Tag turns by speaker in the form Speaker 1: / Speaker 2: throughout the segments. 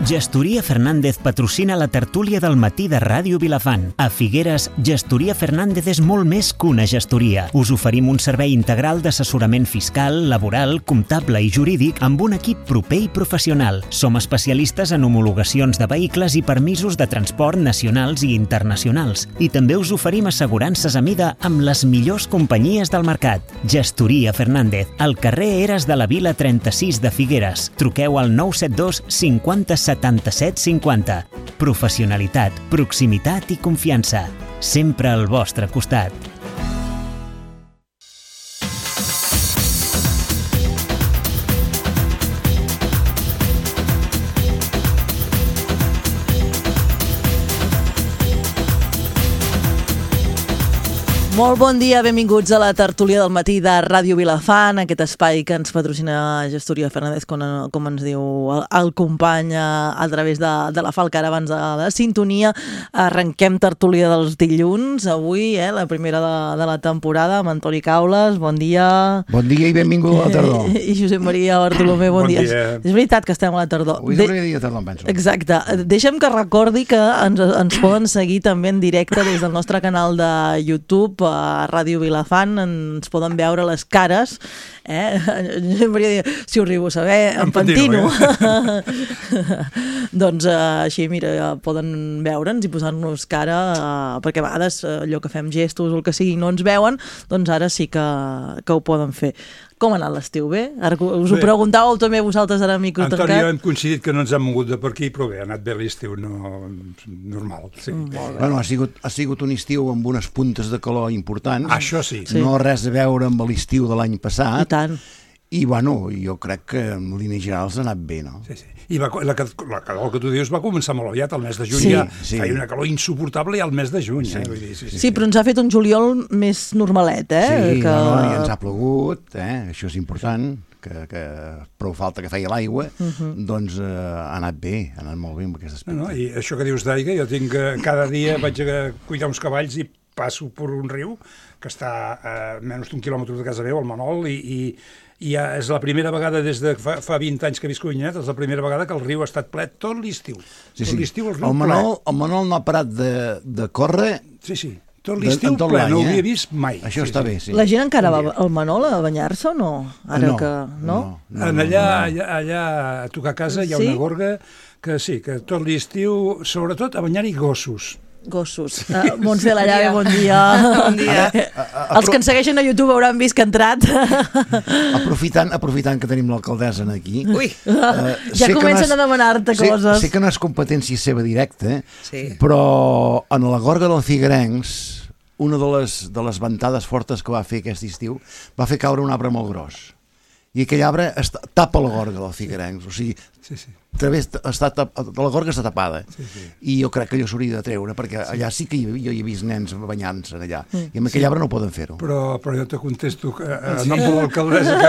Speaker 1: Gestoria Fernández patrocina la tertúlia del matí de Ràdio Vilafant. A Figueres, Gestoria Fernández és molt més que una gestoria. Us oferim un servei integral d'assessorament fiscal, laboral, comptable i jurídic amb un equip proper i professional. Som especialistes en homologacions de vehicles i permisos de transport nacionals i internacionals. I també us oferim assegurances a mida amb les millors companyies del mercat. Gestoria Fernández, al carrer Eres de la Vila 36 de Figueres. Truqueu al 972 50 77 50. Professionalitat, proximitat i confiança. Sempre al vostre costat.
Speaker 2: Molt bon dia, benvinguts a la tertúlia del matí de Ràdio Vilafant, aquest espai que ens patrocina Gestoria Fernández, com ens diu el company a través de la Falca, ara abans de la sintonia. Arrenquem tertúlia dels dilluns, avui, la primera de la temporada, amb Antoni Caules, bon dia.
Speaker 3: Bon dia i benvingut a la tardor.
Speaker 2: I Josep Maria Bartolomé, bon dia. És veritat que estem a la tardor.
Speaker 3: Avui és el primer dia de tardor, em penso.
Speaker 2: Exacte. Deixa'm que recordi que ens poden seguir també en directe des del nostre canal de YouTube, a Ràdio Vilafant, ens poden veure les cares, si ho arribo a saber, em pentino. Doncs així, mira, poden veure'ns i posar-nos cara, perquè a vegades allò que fem gestos o el que sigui no ens veuen, doncs ara sí que ho poden fer. Com ha anat l'estiu? Bé? Ara us ho preguntàveu també vosaltres ara a micro tancat.
Speaker 4: Antoni, hem coincidit que no ens hem mogut de per aquí, però bé, ha anat bé l'estiu, normal. Sí.
Speaker 3: Bueno, ha sigut un estiu amb unes puntes de calor importants.
Speaker 4: Això sí.
Speaker 3: No res a veure amb l'estiu de l'any passat.
Speaker 2: I tant.
Speaker 3: I, bueno, jo crec que en línies generals ha anat bé, no?
Speaker 4: Sí. I la calor que tu dius va començar molt aviat, al mes de juny.
Speaker 3: Sí.
Speaker 4: Feia una calor insuportable ja al mes de juny.
Speaker 2: Sí, però ens ha fet un juliol més normalet,
Speaker 3: Sí, i ens ha plogut, això és important, que prou falta que feia l'aigua, doncs ha anat bé, ha anat molt bé amb aquest aspecte.
Speaker 4: I això que dius d'aigua, jo tinc cada dia vaig a cuidar uns cavalls i passo per un riu que està a menys d'un quilòmetre de casa meva, al Manol, i és la primera vegada des de fa 20 anys que visc a Avinyonet, és la primera vegada que el riu ha estat ple tot l'estiu. Tot l'estiu el riu ple.
Speaker 3: El Manol no ha parat de córrer.
Speaker 4: Sí. Tot l'estiu ple, no ho havia vist mai.
Speaker 3: Això està bé, sí.
Speaker 2: La gent encara va al Manol a banyar-se o no?
Speaker 3: No.
Speaker 4: Allà a tocar casa hi ha una gorga que sí, que tot l'estiu, sobretot a banyar-hi gossos.
Speaker 2: Gossos. Montse Lallave, bon dia.
Speaker 5: Bon dia.
Speaker 2: Els que ens segueixen a YouTube hauran vist que ha entrat.
Speaker 3: Aprofitant que tenim l'alcaldessa aquí.
Speaker 5: Ui!
Speaker 2: Ja comencen a demanar-te coses.
Speaker 3: Sé que no és competència seva directa, però en la gorga del Figuerencs, una de les ventades fortes que va fer aquest estiu va fer caure un arbre molt gros. I aquell arbre tapa la gorga del Figuerencs, o sigui, la gorga està tapada, i jo crec que allò s'hauria de treure, perquè allà sí que jo hi he vist nens banyant-se allà, i amb aquell arbre no poden fer-ho.
Speaker 4: Però jo te contesto que no amb l'alcaldessa que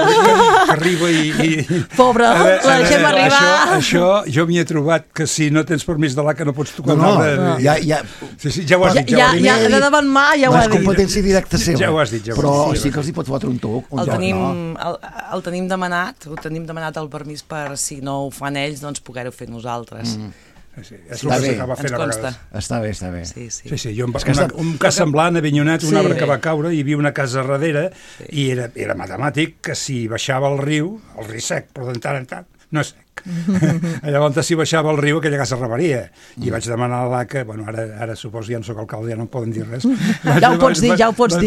Speaker 4: arriba i...
Speaker 2: Pobre, la deixem arribar.
Speaker 4: Això jo m'hi he trobat que si no tens permís de l'ACA no pots tocar un arbre. Ja ho has dit.
Speaker 2: Ja de davant mà ja ho ha dit.
Speaker 3: No és competència directa seva.
Speaker 4: Ja ho has dit.
Speaker 3: Però sí que els hi pot fotre un toc.
Speaker 5: El tenim demanat el permís per, si no ho fan ells, doncs poder-ho fer nosaltres.
Speaker 4: Sí, és el que s'acaba fent a vegades.
Speaker 3: Està bé.
Speaker 5: Sí,
Speaker 4: jo un cas semblant a Avinyonet, un arbre que va caure, hi havia una casa darrere i era matemàtic que si baixava el riu sec, però de tant en tant, no és sec. Llavors, si baixava el riu, aquella casa rebaria. I vaig demanar a l'ACA, ara suposo ja no soc alcalde, ja no em poden dir res.
Speaker 2: Ja ho pots dir.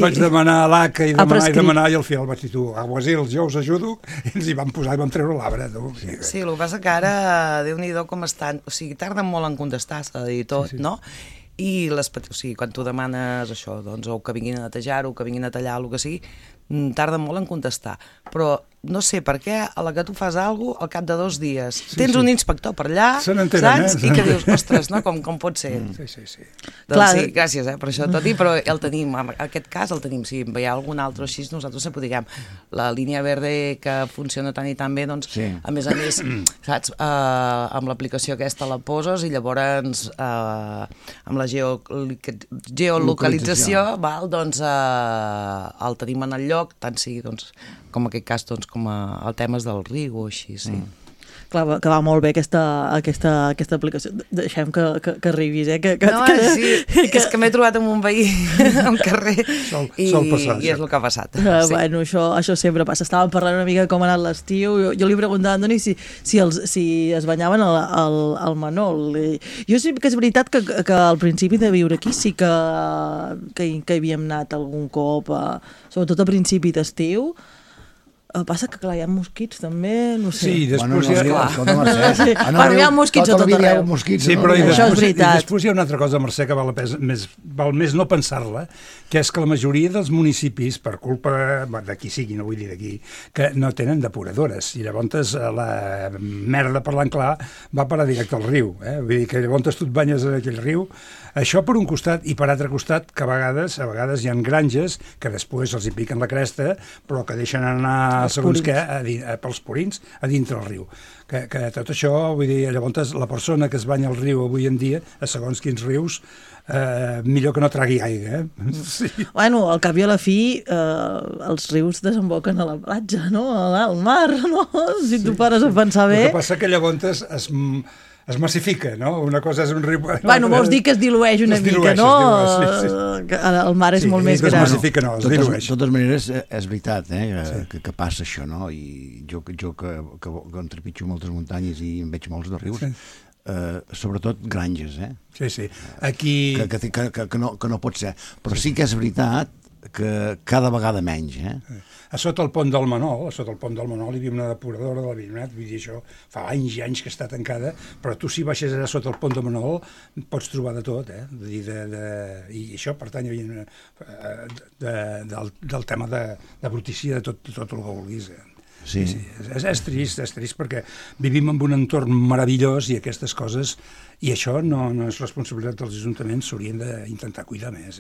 Speaker 4: Vaig demanar a l'ACA i demanar, i al final vaig dir, aguasils, jo us ajudo, i ens hi vam posar i vam treure l'arbre.
Speaker 5: Sí, el que passa que ara, Déu-n'hi-do com estan, o sigui, tarden molt en contestar, s'ha de dir tot, no? I quan tu demanes això, doncs, o que vinguin a netejar-ho, o que vinguin a tallar, el que sigui, tarden molt en contestar. Però no sé per què, a la que tu fas alguna cosa, al cap de 2 dies, tens un inspector per allà, saps? I que dius, ostres, no? Com pot ser?
Speaker 4: Sí.
Speaker 5: Doncs sí, gràcies per això tot i, però el tenim, en aquest cas el tenim. Si hi ha algun altre així, nosaltres sempre diguem, la línia verde que funciona tan i tan bé, doncs, a més, saps, amb l'aplicació aquesta la poses i llavors amb la geolocalització, doncs el tenim en el lloc, tant sigui, doncs, com en aquest cas, doncs, com el temes del riu o així, sí.
Speaker 2: Clar, que va molt bé aquesta aplicació. Deixem que arribis,
Speaker 5: sí, és que m'he trobat amb un veí al carrer i és el que ha passat.
Speaker 2: Bueno, això sempre passa. Estàvem parlant una mica com ha anat l'estiu. Jo li preguntava a Antoni si es banyaven al Manol. Jo sí que és veritat que al principi de viure aquí sí que havíem anat algun cop, sobretot a principi d'estiu. Passa que, clar, hi ha mosquits també, no sé.
Speaker 4: Sí, després
Speaker 2: hi ha mosquits a tot arreu.
Speaker 4: Sí, però això és veritat. I després hi ha una altra cosa, Mercè, que val més no pensar-la, que és que la majoria dels municipis, per culpa de qui sigui, no vull dir d'aquí, que no tenen depuradores, i llavors la merda, parlant clar, va parar directe al riu. Vull dir que llavors tu et banyes en aquell riu. Això per un costat, i per altre costat, que a vegades hi ha granges que després els hi piquen la cresta, però que deixen anar segons què, pels purins, a dintre el riu. Que tot això, vull dir, llavors la persona que es banya al riu avui en dia, a segons quins rius, millor que no tragui aigua. Sí.
Speaker 2: Bueno, al cap i a la fi, els rius desemboquen a la platja, no? Al mar, no? Si tu pares a pensar bé...
Speaker 4: El que passa que llavors es massifica, no? Una cosa és un riu...
Speaker 2: Bueno, vols dir que es dilueix una mica, no? El mar és molt més gran.
Speaker 4: Es massifica, no, es dilueix.
Speaker 3: De totes maneres, és veritat, que passa això, no? I jo que em trepitjo moltes muntanyes i en veig molts de rius, sobretot granges,
Speaker 4: Sí. Aquí...
Speaker 3: Que no pot ser. Però sí que és veritat que cada vegada menys,
Speaker 4: A sota el pont del Manol hi havia una depuradora de la Vinyonat, vull dir, això fa anys i anys que està tancada, però tu si baixes allà sota el pont del Manol pots trobar de tot, i això pertany del tema de brutícia de tot el que vulguis.
Speaker 3: Sí.
Speaker 4: És trist perquè vivim en un entorn meravellós i aquestes coses, i això no és responsabilitat dels ajuntaments, s'haurien d'intentar cuidar més.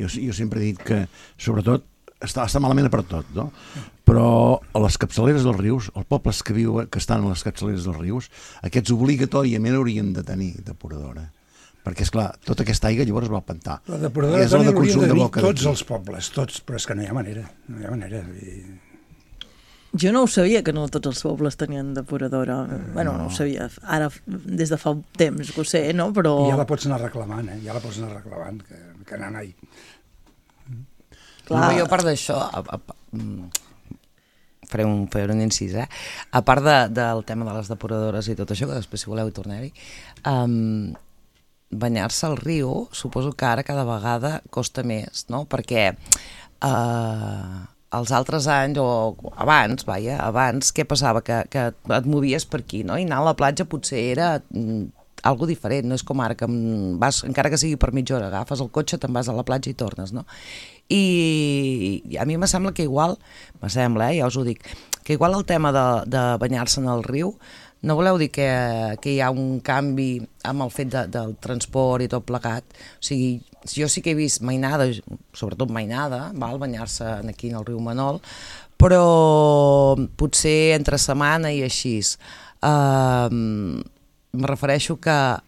Speaker 3: Jo sempre he dit que, sobretot, està malament per tot, no? Però a les capçaleres dels rius, els pobles que estan a les capçaleres dels rius, aquests obligatòriament haurien de tenir depuradora. Perquè, esclar, tota aquesta aigua llavors va al pantà.
Speaker 4: La depuradora també hauria de tenir tots els pobles, tots, però és que no hi ha manera.
Speaker 2: Jo no ho sabia, que no tots els pobles tenien depuradora. Bueno, no ho sabia. Ara, des de fa temps, que ho sé, no? Però...
Speaker 4: I ja la pots anar reclamant, que anar-hi.
Speaker 5: Clar. Jo, a part d'això, faré un incís, a part del tema de les depuradores i tot això, que després, si voleu, hi tornem-hi, banyar-se al riu, suposo que ara cada vegada costa més, no? Perquè els altres anys, o abans, què passava? Que et movies per aquí, no? I anar a la platja potser era algo diferent, no és com ara, que vas, encara que sigui per mitja hora, agafes el cotxe, te'n vas a la platja i tornes, no? I a mi me sembla que igual, ja us ho dic, que igual el tema de banyar-se en el riu, no voleu dir que hi ha un canvi amb el fet del transport i tot plegat? O sigui, jo sí que he vist mainada, sobretot mainada, banyar-se aquí en el riu Manol, però potser entre setmana i així. Me refereixo que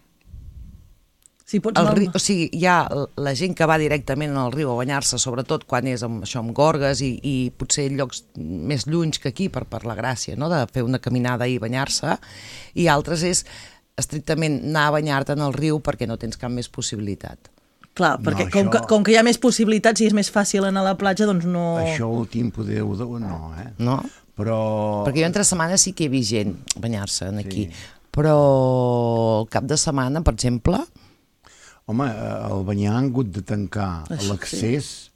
Speaker 5: o sigui, hi ha la gent que va directament al riu a banyar-se, sobretot quan és amb gorgues i potser llocs més llunys que aquí per la gràcia, no? De fer una caminada i banyar-se, i altres és estrictament anar a banyar-te en el riu perquè no tens cap més possibilitat.
Speaker 2: Clar, perquè com que hi ha més possibilitats i és més fàcil anar a la platja, doncs no...
Speaker 3: Això últim poder no,
Speaker 5: No?
Speaker 3: Però...
Speaker 5: Perquè jo entre setmana sí que he vist gent banyar-se aquí, però el cap de setmana, per exemple...
Speaker 3: Home, el Banyar han hagut de tancar l'accés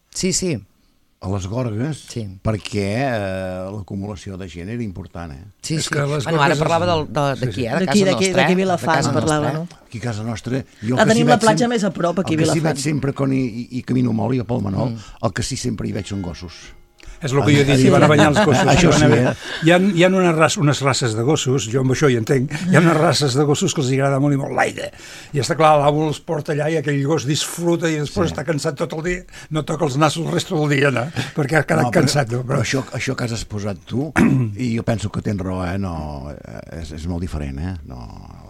Speaker 3: a les gorgues perquè l'acumulació de gent era important,
Speaker 5: Sí. Bueno, ara parlava d'aquí, de casa nostra.
Speaker 2: D'aquí Vilafant parlava, no?
Speaker 3: Aquí a casa nostra...
Speaker 2: Tenim la platja més a prop, aquí a Vilafant.
Speaker 3: El que sí veig sempre quan hi camino molt, i pel Manol, el que sí sempre hi veig són gossos.
Speaker 4: És el que jo he dit, van a banyar els gossos.
Speaker 3: Això sí,
Speaker 4: Hi ha unes races de gossos, jo amb això hi entenc, hi ha unes races de gossos que els agrada molt i molt l'aire. I està clar, l'amo els porta allà i aquell gos disfruta i després està cansat tot el dia, no toca els nassos el resto del dia, no? Perquè ha quedat cansat.
Speaker 3: Però això que has posat tu, i jo penso que tens raó, no, és molt diferent, no...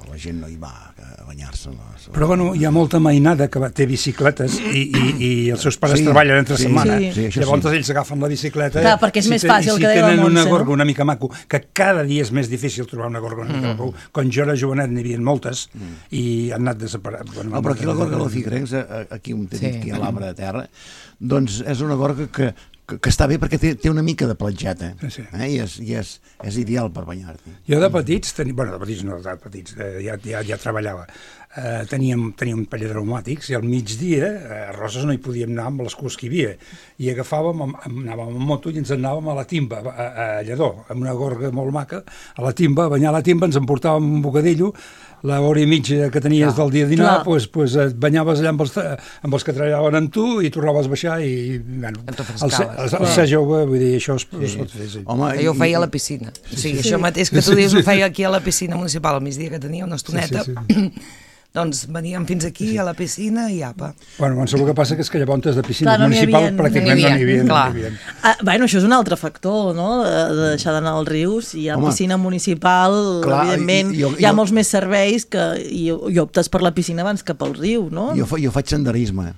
Speaker 3: la gent no hi va a banyar-se.
Speaker 4: Però bueno, hi ha molta mainada que té bicicletes i els seus pares treballen entre setmana. Llavors ells agafen la bicicleta.
Speaker 2: Clar, perquè és més fàcil que deia la Montse,
Speaker 4: no? Si tenen una gorga una mica maco, que cada dia és més difícil trobar una gorga una mica maco. Quan jo era jovenet n'hi havia moltes i han anat desaparant.
Speaker 3: Però aquí la gorga dels Figuerencs, aquí on té dit que hi ha l'arbre de terra, doncs és una gorga que està bé perquè té una mica de platgeta i és ideal per banyar-t'hi.
Speaker 4: Jo de petits, ja treballava, teníem un parell de pneumàtics i al migdia a Roses no hi podíem anar amb les cues que hi havia i anàvem amb moto i ens anàvem a la timba, a Lledó, amb una gorga molt maca, a la timba, a banyar la timba, ens emportàvem un bocadillo, l'hora i mitja que tenies del dia a dinar, doncs et banyaves allà amb els que treballaven amb tu i tornaves a baixar i, bueno, el ser jove, vull dir, això es pot fer.
Speaker 5: Jo ho feia a la piscina. O sigui, això mateix que tu dius ho feia aquí a la piscina municipal, al migdia que tenia una estoneta, doncs veníem fins aquí a la piscina i apa.
Speaker 4: Bueno, el que passa és que llavors de piscina municipal pràcticament no n'hi havia.
Speaker 2: Bueno, això és un altre factor, no?, de deixar d'anar als rius. Hi ha piscina municipal, evidentment, hi ha molts més serveis i optes per la piscina abans que pel riu, no?
Speaker 3: Jo faig senderisme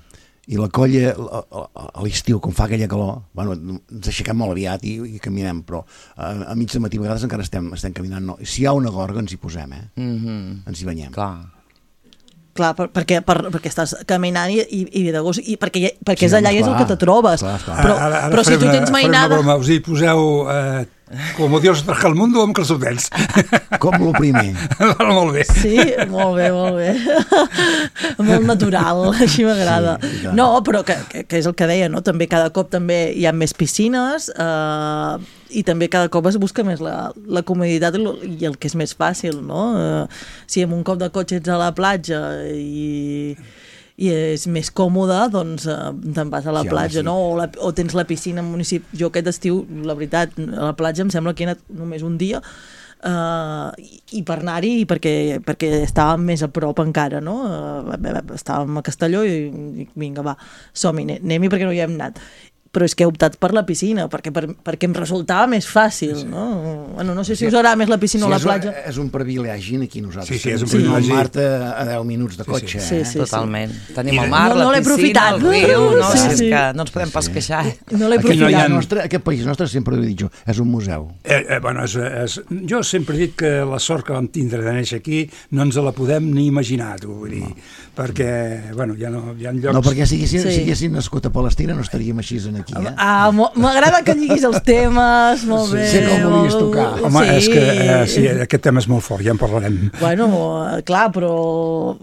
Speaker 3: i la colla a l'estiu, quan fa aquella calor, bueno, ens aixequem molt aviat i caminem, però a mig de matí a vegades encara estem caminant. No. Si hi ha una gorga ens hi posem, ens hi banyem.
Speaker 2: Clar, perquè estàs caminant i ve de gust, i perquè és allà i és el que te trobes. Però si tu tens mainada...
Speaker 4: Faré una broma, us hi poseu... Com Dios trajo al mundo amb calçotets.
Speaker 3: Com lo primer.
Speaker 4: Molt bé.
Speaker 2: Sí, molt bé. Molt natural, així m'agrada. No, però que és el que deia, no? També cada cop també hi ha més piscines i també cada cop es busca més la comoditat i el que és més fàcil, no? Si amb un cop de cotxe ets a la platja i és més còmode, doncs te'n vas a la platja, no? O tens la piscina municipal. Jo aquest estiu, la veritat, a la platja em sembla que he anat només un dia i per anar-hi perquè estàvem més a prop encara, no? Estàvem a Castelló i vinga, va, som-hi, anem-hi perquè no hi hem anat. Però és que he optat per la piscina, perquè em resultava més fàcil, no? Bueno, no sé si us agrada més la piscina o la platja.
Speaker 3: És un privilegi aquí nosaltres.
Speaker 4: Sí, és un privilegi.
Speaker 3: Mar-te a 10 minuts de cotxe.
Speaker 5: Sí, totalment. Tenim el mar, la piscina, el riu, és que no ens podem pas queixar.
Speaker 2: No l'he aprofitat.
Speaker 3: Aquest país nostre, sempre ho he dit jo, és un museu.
Speaker 4: Bueno, jo sempre he dit que la sort que vam tindre de néixer aquí no ens la podem ni imaginar, vull dir, perquè, bueno, hi ha llocs...
Speaker 3: No, perquè si haguessin nascut a Palestina no estaríem així aquí,
Speaker 2: m'agrada que lliguis els temes, molt bé.
Speaker 3: Sé com volies tocar.
Speaker 4: Home, és que aquest tema és molt fort, ja en parlarem.
Speaker 2: Bueno, clar, però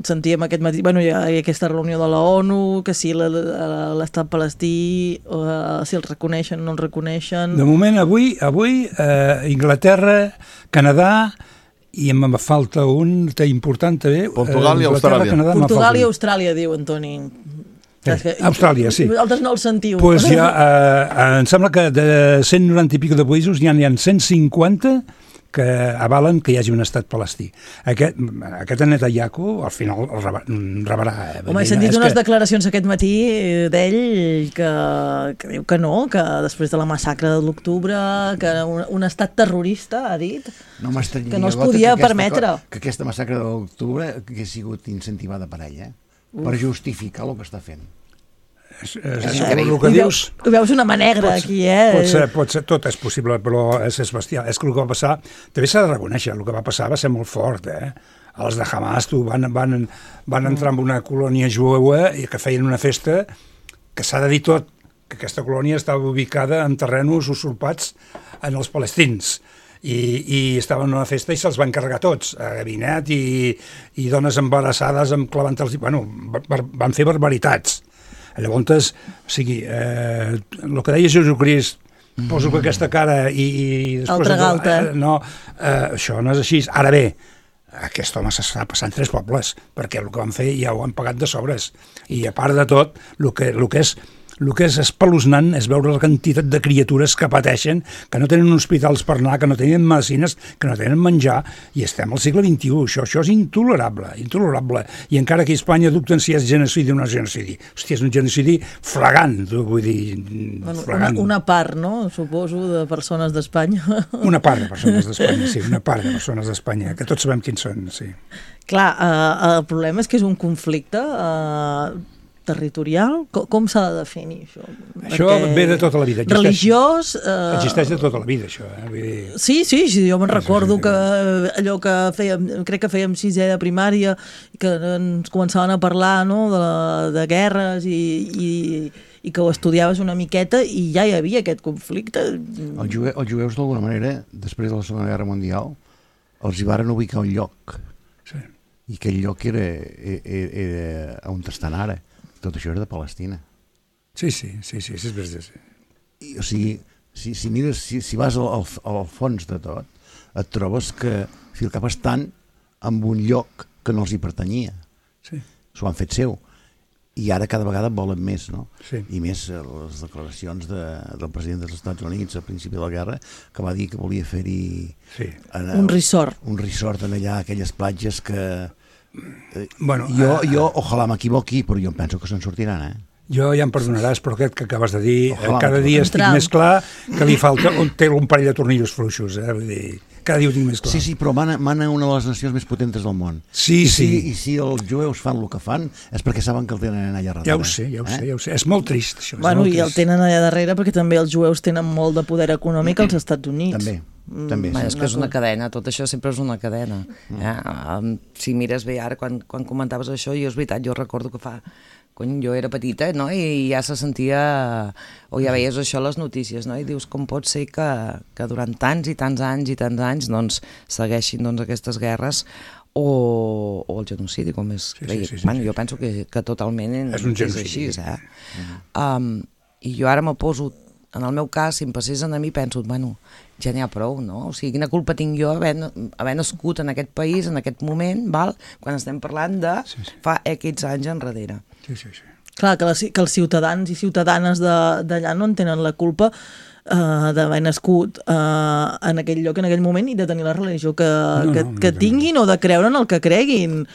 Speaker 2: sentíem aquest matí, bueno, hi ha aquesta reunió de la ONU, que si l'estat palestí, si el reconeixen o no el reconeixen...
Speaker 4: De moment, avui, Inglaterra, Canadà, i em falta un important també...
Speaker 6: Portugal i Austràlia.
Speaker 2: Portugal i Austràlia, diu Antoni.
Speaker 4: Austràlia, sí.
Speaker 2: Vosaltres no el sentiu.
Speaker 4: Pues ja, em sembla que de 190 i pico de països n'hi ha 150 que avalen que hi hagi un estat palestí. Aquest Netanyahu al final el rebrà.
Speaker 2: Home, he sentit unes declaracions aquest matí d'ell que diu que no, que després de la massacre de l'octubre, que un estat terrorista, ha dit, que no es podia permetre.
Speaker 3: Que aquesta massacre de l'octubre hagués sigut incentivada per ell, per justificar el que està fent.
Speaker 4: El que dius...
Speaker 2: Veus una mà negra aquí,
Speaker 4: Pot ser, tot és possible, però és bestial. És que el que va passar, també s'ha de reconèixer, el que va passar va ser molt fort, Els de Hamas van entrar en una colònia jueva i que feien una festa que s'ha de dir tot, que aquesta colònia estava ubicada en terrenos usurpats en els palestins. I estaven en una festa i se'ls van carregar tots, a gabinet i dones embarassades amb clavant-els... Bueno, van fer barbaritats. Llavors, o sigui, el que deia Jesucrist, poso que aquesta cara i després...
Speaker 2: Altra.
Speaker 4: No, això no és així. Ara bé, aquest home s'està passant 3 pobles, perquè el que van fer ja ho han pagat de sobres. I a part de tot, el que és el que és espeluznant és veure la quantitat de criatures que pateixen, que no tenen hospitals per anar, que no tenen medicines, que no tenen menjar, i estem al segle XXI. Això és intolerable. I encara que a Espanya dubten si és genocidi o no és genocidi. Hòstia, és un genocidi flagrant, vull dir, flagrant.
Speaker 2: Una part, no? Suposo, de persones d'Espanya.
Speaker 4: Una part de persones d'Espanya, sí, una part de persones d'Espanya, que tots sabem quins són, sí.
Speaker 2: Clar, el problema és que és un conflicte territorial. Com s'ha de definir això?
Speaker 4: Això ve de tota la vida.
Speaker 2: Religiós...
Speaker 4: Existeix de tota la vida, això. Vull dir...
Speaker 2: Sí, jo me'n recordo que allò que fèiem, crec que fèiem 6è de primària, que ens començaven a parlar, no?, de guerres i que ho estudiaves una miqueta i ja hi havia aquest conflicte.
Speaker 3: Els jueus, d'alguna manera, després de la Segona Guerra Mundial, els hi varen ubicar un lloc.
Speaker 4: Sí.
Speaker 3: I aquell lloc era on estan ara. Tot això era de Palestina.
Speaker 4: Sí, és veritat.
Speaker 3: O sigui, si mires, si vas al fons de tot, et trobes que al cap estan en un lloc que no els hi pertanyia.
Speaker 4: Sí.
Speaker 3: S'ho han fet seu. I ara cada vegada volen més, no?
Speaker 4: Sí.
Speaker 3: I més les declaracions del president dels Estats Units al principi de la guerra, que va dir que volia fer-hi...
Speaker 2: Sí. Un resort.
Speaker 3: Un resort en allà, aquelles platges que...
Speaker 4: Bueno,
Speaker 3: jo ojalà m'equivoqui, però jo em penso que se'n sortiran,
Speaker 4: Jo ja em perdonaràs, però aquest que acabes de dir, cada dia estic més clar que li falta té un parell de tornillos fluixos, vull dir... Cada dia ho tinc més clar.
Speaker 3: Sí, però mana una de les nacions més potentes del món.
Speaker 4: Sí.
Speaker 3: I si els jueus fan el que fan és perquè saben que el tenen allà darrere.
Speaker 4: Ja ho sé. És molt trist, això.
Speaker 2: Bueno, i el tenen allà darrere perquè també els jueus tenen molt de poder econòmic als Estats Units.
Speaker 3: També.
Speaker 5: És que és una cadena, tot això sempre és una cadena. Si mires bé ara, quan comentaves això, jo és veritat, jo recordo que jo era petita, no?, i ja se sentia, o ja veies això a les notícies, no?, i dius com pot ser que durant tants i tants anys doncs segueixin aquestes guerres o el genocidi, com és.
Speaker 4: Sí.
Speaker 5: Bueno, jo penso que totalment
Speaker 4: és
Speaker 5: així, I jo ara me poso, en el meu cas, si em passés a mi, penso, bueno, ja n'hi ha prou, no? O sigui, quina culpa tinc jo haver nascut en aquest país, en aquest moment, quan estem parlant de fa X anys enrere.
Speaker 4: Sí.
Speaker 2: Clar, que els ciutadans i ciutadanes d'allà no en tenen la culpa d'haver nascut en aquell lloc, en aquell moment, i de tenir la religió que tinguin o de creure en el que creguin.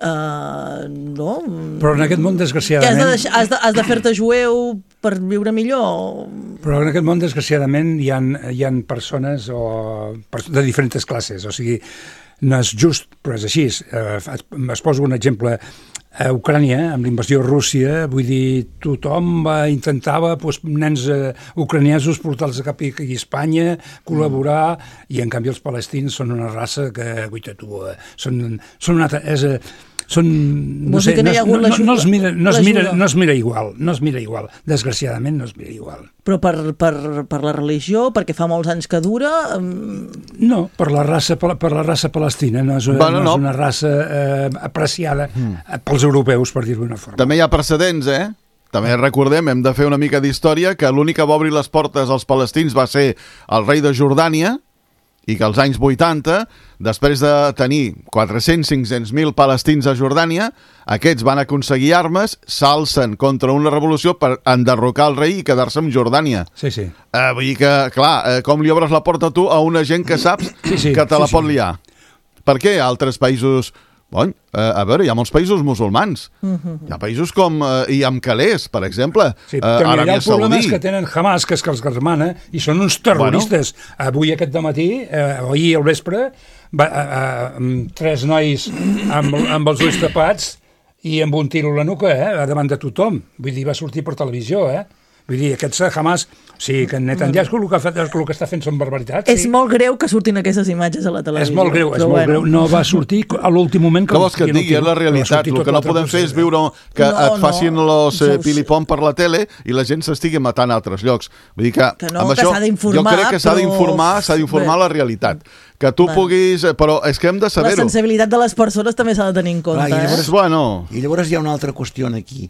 Speaker 2: No?
Speaker 4: Però en aquest món, desgraciadament...
Speaker 2: Has de fer-te jueu per viure millor?
Speaker 4: Però en aquest món, desgraciadament, hi ha persones de diferents classes. O sigui, no és just, però és així. Es poso un exemple. A Ucrània, amb l'invasió de Rússia, vull dir, tothom intentava nens ucraniesos portar-los cap a Espanya, col·laborar, i en canvi els palestins són una raça que, guaita tu, són una altra... No es mira igual, desgraciadament no es mira igual.
Speaker 2: Però per la religió, perquè fa molts anys que dura...
Speaker 4: No, per la raça palestina, no és una raça apreciada pels europeus, per dir-ho d'una forma.
Speaker 6: També hi ha precedents, També recordem, hem de fer una mica d'història, que l'únic que va obrir les portes als palestins va ser el rei de Jordània, i que als anys 80, després de tenir 400-500.000 palestins a Jordània, aquests van aconseguir armes, s'alcen contra una revolució per enderrocar el rei i quedar-se amb Jordània.
Speaker 4: Sí.
Speaker 6: Vull dir que, clar, com li obres la porta tu a una gent que saps que te la pot liar? Per què altres països... Bon, a veure, hi ha molts països musulmans. Hi ha països com... i amb calés, per exemple.
Speaker 4: Sí, però hi ha problemes que tenen Hamas, que és que els germana, i són uns terroristes. Avui aquest dematí, o ahir al vespre, 3 nois amb els ulls tapats i amb un tiro a la nuca, davant de tothom. Vull dir, va sortir per televisió, Vull dir, aquests Hamas, sí, que Netanyahu el que està fent són barbaritats.
Speaker 2: És molt greu que surtin aquestes imatges a la televisió.
Speaker 4: És molt greu. No va sortir a l'últim moment.
Speaker 6: Què vols que et digui? És la realitat. El que no podem fer és viure que et facin los pilipom per la tele i la gent s'estigui matant a altres llocs. Vull dir que amb això jo crec que s'ha d'informar la realitat. Que tu puguis... Però és que hem de saber-ho.
Speaker 2: La sensibilitat de les persones també s'ha de tenir en compte.
Speaker 3: I llavors hi ha una altra qüestió aquí.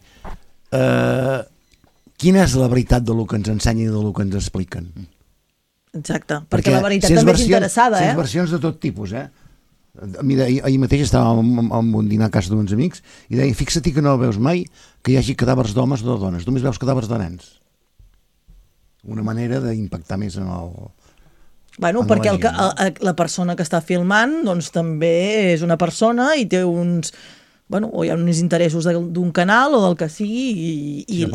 Speaker 3: Quina és la veritat del que ens ensenyen i del que ens expliquen?
Speaker 2: Exacte, perquè la veritat també és interessada,
Speaker 3: Si és versions de tot tipus, Ahir mateix estàvem en un dinar a casa d'uns amics i deien, fixa-t'hi que no veus mai que hi hagi cadàvers d'homes o de dones, només veus cadàvers de nens. Una manera d'impactar més en el...
Speaker 2: Bueno, perquè la persona que està filmant doncs també és una persona i té uns... Bueno, o hi ha uns interessos d'un canal o del que sigui i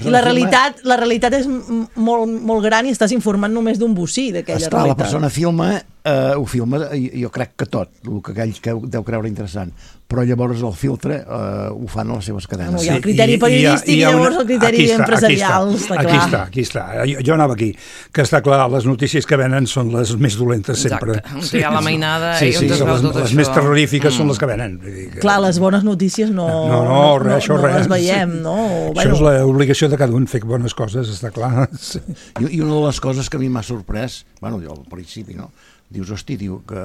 Speaker 2: la realitat és molt gran i estàs informant només d'un bocí d'aquella realitat.
Speaker 3: La persona ho filma, jo crec que tot, el que aquell deu creure interessant, però llavors el filtre ho fan a les seves cadenes.
Speaker 2: Hi ha el criteri periodístic i llavors el criteri empresarial.
Speaker 4: Aquí està. Jo anava aquí, que està clar, les notícies que venen són les més dolentes sempre.
Speaker 5: Exacte, hi ha la mainada i on es veu tot això.
Speaker 4: Les més terrorífiques són les que venen.
Speaker 2: Clar, les bones notícies no les veiem, no?
Speaker 4: Això és l'obligació de cada un, fer bones coses, està clar.
Speaker 3: I una de les coses que a mi m'ha sorprès, bueno, jo al principi, no? Dius, que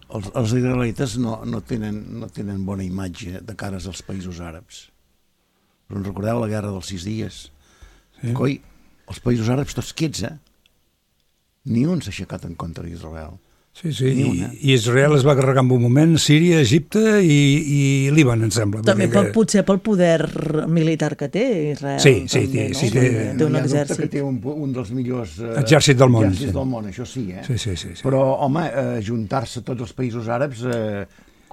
Speaker 3: els israelites no tenen bona imatge de cares als països àrabs. Però recordeu la guerra dels 6 dies? Sí. Coi, els països àrabs tots quiets, Ni un s'ha aixecat en contra d'Israel.
Speaker 4: Sí, i Israel es va carregar en un moment, Síria, Egipte i Líban, em sembla.
Speaker 2: També potser pel poder militar que té Israel.
Speaker 4: Sí,
Speaker 2: té un exèrcit.
Speaker 3: Que té un dels millors
Speaker 4: exèrcits del món.
Speaker 3: Això sí,
Speaker 4: Sí.
Speaker 3: Però, home, juntar-se tots els països àrabs...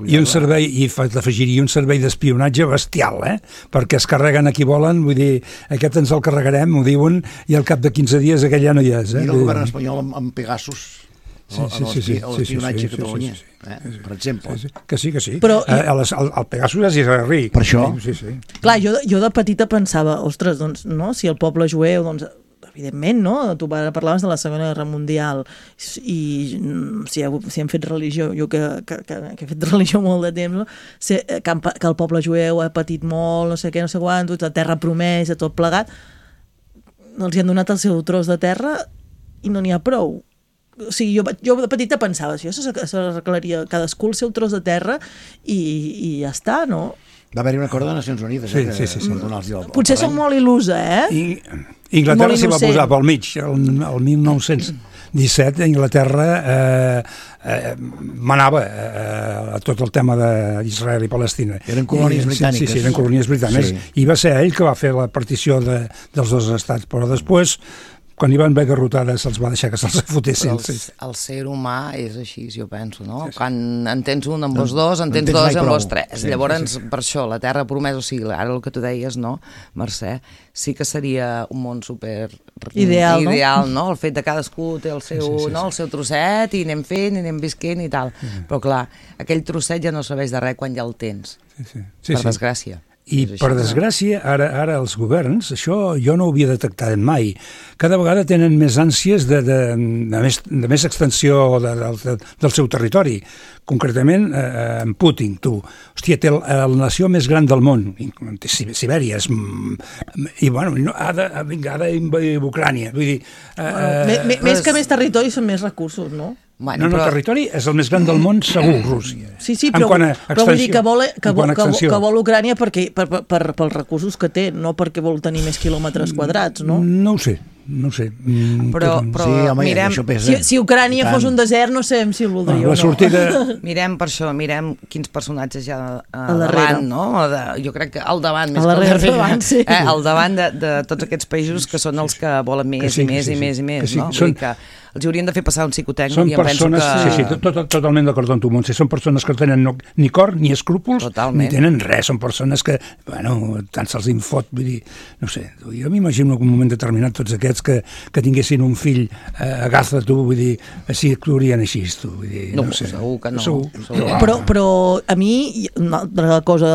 Speaker 4: I un servei, i t'afegiria un servei d'espionatge bestial, perquè es carreguen a qui volen, vull dir, aquest ens el carregarem, ho diuen, i al cap de 15 dies aquell ja no hi és.
Speaker 3: I el govern espanyol amb Pegasus... l'espionatge a Catalunya, per exemple.
Speaker 4: Que sí. Però el Pegasus és israelí.
Speaker 3: Per això.
Speaker 4: Sí.
Speaker 2: Clar, jo de petita pensava, ostres, doncs, no, si el poble jueu, doncs, evidentment, no? Tu parlaves de la Segona Guerra Mundial i si hem fet religió, jo que he fet religió molt de temps, no? Que el poble jueu ha patit molt, no sé què, no sé quant, la terra promesa, tot plegat, els hi han donat el seu tros de terra i no n'hi ha prou. O sigui, jo de petita pensava, això s'arreglaria cadascú el seu tros de terra i ja està, no?
Speaker 3: Va haver-hi un acord de Nacions Unides.
Speaker 2: Sí. Potser soc molt il·lusa,
Speaker 4: I Inglaterra s'hi va posar pel mig. El 1917 Inglaterra manava a tot el tema d'Israel i Palestina.
Speaker 3: Eren colònies britàniques.
Speaker 4: Sí, eren colònies britàniques. I va ser ell que va fer la partició dels dos estats, però després... Quan hi van haver garrotades se'ls va deixar que se'ls fotessin.
Speaker 5: El ser humà és així, jo penso, no? Quan en tens un amb els dos, en tens dos amb els tres. Llavors, per això, la terra promesa, o sigui, ara el que tu deies, no, Mercè, sí que seria un món super ideal, no? El fet de cadascú té el seu trosset i anem fent, i anem visquent i tal. Però clar, aquell trosset ja no serveix de res quan ja el tens, per desgràcia.
Speaker 4: I per desgràcia, ara els governs, això jo no ho havia detectat mai, cada vegada tenen més ànsies de més extensió del seu territori. Concretament, en Putin, tu. Hòstia, té la nació més gran del món, Sibèria, i bueno, ha d'invadir Ucrània. Vull dir...
Speaker 2: Més que més territori són més recursos, no?
Speaker 4: Bueno, el territori és el més gran del món, segur, Rússia.
Speaker 2: Sí, però vull dir que vol Ucrània pels recursos que té, no perquè vol tenir més quilòmetres quadrats, no?
Speaker 4: No ho sé.
Speaker 5: Però mirem...
Speaker 2: Si Ucrània fos un desert, no sabem si el voldria o
Speaker 4: no.
Speaker 5: Mirem per això, mirem quins personatges hi ha al davant, no? Jo crec que al davant, més que al darrere. Al davant de tots aquests països que són els que volen més i més i més i més, no? Vull dir que els haurien de fer passar un psicotècnic i em penso que...
Speaker 4: Sí, totalment d'acord amb tu, Montse. Són persones que no tenen ni cor, ni escrúpols, ni tenen res. Són persones que, bueno, tant se'ls infot, vull dir, no sé, jo m'imagino en un moment determinat tots aquests que tinguessin un fill a Gaza, tu, vull dir, així actuarien així, tu, vull dir, no sé.
Speaker 5: Segur que no.
Speaker 2: Però a mi, una altra cosa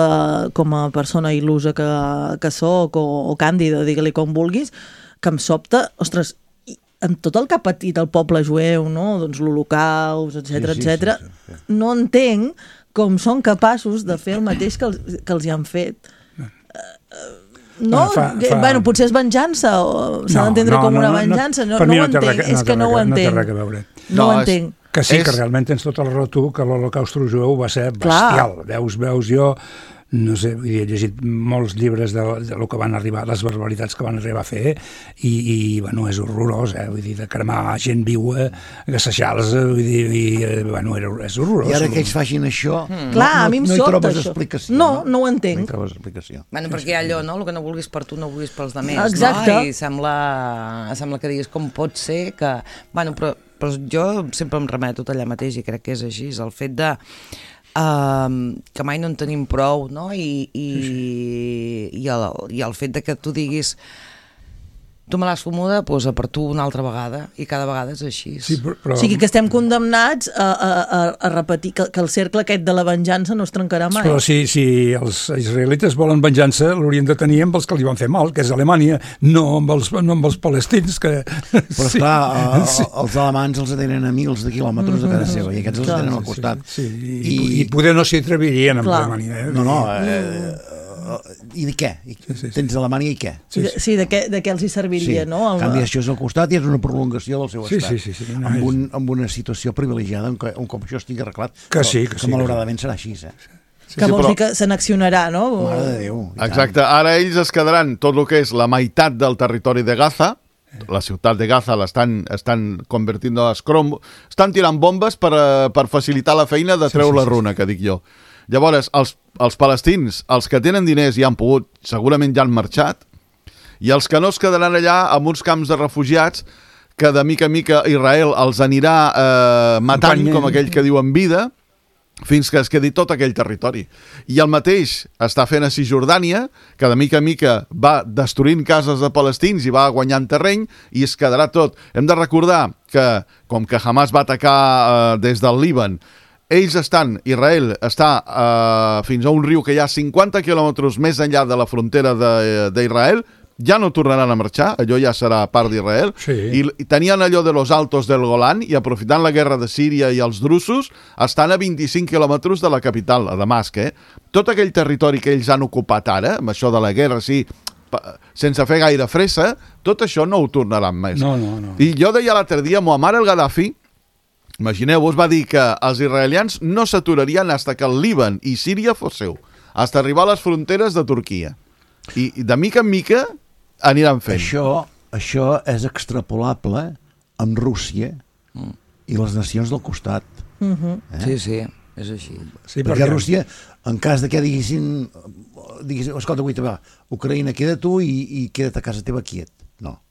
Speaker 2: com a persona il·lusa que soc, o càndida, digue-li com vulguis, que em sobta, ostres, amb tot el que ha patit el poble jueu, no? Doncs l'Holocaust, etc., no entenc com són capaços de fer el mateix que els hi han fet. No? Bueno, potser és venjança, o s'ha d'entendre com una venjança. No ho entenc, és que no ho entenc.
Speaker 4: No té res a veure.
Speaker 2: No ho entenc.
Speaker 4: Que sí, que realment tens tota la raó tu, que l'Holocaust jueu va ser bestial. Veus, jo... no sé, he llegit molts llibres de lo que van arribar, les barbaritats que van arribar a fer, i bueno, és horrorós, vull dir, de cremar gent viua, gassejar-los, vull dir, bueno, és horrorós.
Speaker 3: I ara que ells facin això,
Speaker 2: Clar, a mi em
Speaker 3: no hi
Speaker 2: sobta
Speaker 3: trobes
Speaker 2: això.
Speaker 3: explicació.
Speaker 2: No ho entenc.
Speaker 3: No hi trobes explicació.
Speaker 5: Bueno, perquè hi ha allò, no? El que no vulguis per tu no vulguis pels demés,
Speaker 2: Exacte.
Speaker 5: no? I sembla que diguis com pot ser que... Bueno, però jo sempre em remeto allà mateix i crec que és així, és el fet de que mai no en tenim prou, no? I el fet de que tu diguis tu me l'has fumuda, doncs a per tu una altra vegada, i cada vegada és així.
Speaker 4: Sí, però...
Speaker 2: O sigui que estem condemnats a repetir que el cercle aquest de la venjança no es trencarà mai.
Speaker 4: Però si els israelites volen venjança, l'haurien de tenir amb els que li van fer mal, que és Alemanya, no amb els palestins, que...
Speaker 3: Però esclar, els alemans els tenen a mils de quilòmetres de casa seva, i aquests els tenen al costat.
Speaker 4: Sí, i poder no s'hi atrevirien amb Alemanya.
Speaker 3: No, i de què? Tens Alemanya i què?
Speaker 2: Sí, de què els hi serviria, no?
Speaker 3: En canvi, això és al costat i és una prolongació del seu estat.
Speaker 4: Sí.
Speaker 3: Amb una situació privilegiada, un cop això estigui arreglat, que malauradament serà així,
Speaker 2: que vols dir que se n'accionarà, no?
Speaker 3: Mare de Déu.
Speaker 6: Exacte, ara ells es quedaran tot el que és la meitat del territori de Gaza, la ciutat de Gaza estan convertint a escrom, estan tirant bombes per facilitar la feina de treure la runa, que dic jo. Llavors, els palestins, els que tenen diners i han pogut, segurament ja han marxat, i els que no es quedaran allà amb uns camps de refugiats que de mica en mica Israel els anirà matant, com aquell que diu en vida, fins que es quedi tot aquell territori. I el mateix està fent a Cisjordània, que de mica en mica va destruint cases de palestins i va guanyant terreny, i es quedarà tot. Hem de recordar que, com que Hamas va atacar des del Líban, Israel està fins a un riu que hi ha 50 quilòmetres més enllà de la frontera d'Israel, ja no tornaran a marxar, allò ja serà part d'Israel, i tenien allò de los Altos del Golan, i aprofitant la guerra de Síria i els drusos, estan a 25 quilòmetres de la capital, a Damasc. Tot aquell territori que ells han ocupat ara, amb això de la guerra, sense fer gaire fressa, tot això no ho tornaran més.
Speaker 4: No.
Speaker 6: I jo deia l'altre dia, Muammar el-Gaddafi, imagineu-vos, va dir que els israelians no s'aturarien fins que el Líban i Síria fos seu, fins arribar a les fronteres de Turquia. I de mica en mica aniran fent.
Speaker 3: Això és extrapolable amb Rússia i les nacions del costat.
Speaker 5: Sí, és així.
Speaker 3: Perquè Rússia, en cas de que diguessin escolta, Ucraïna, queda tu i queda't a casa teva quiet.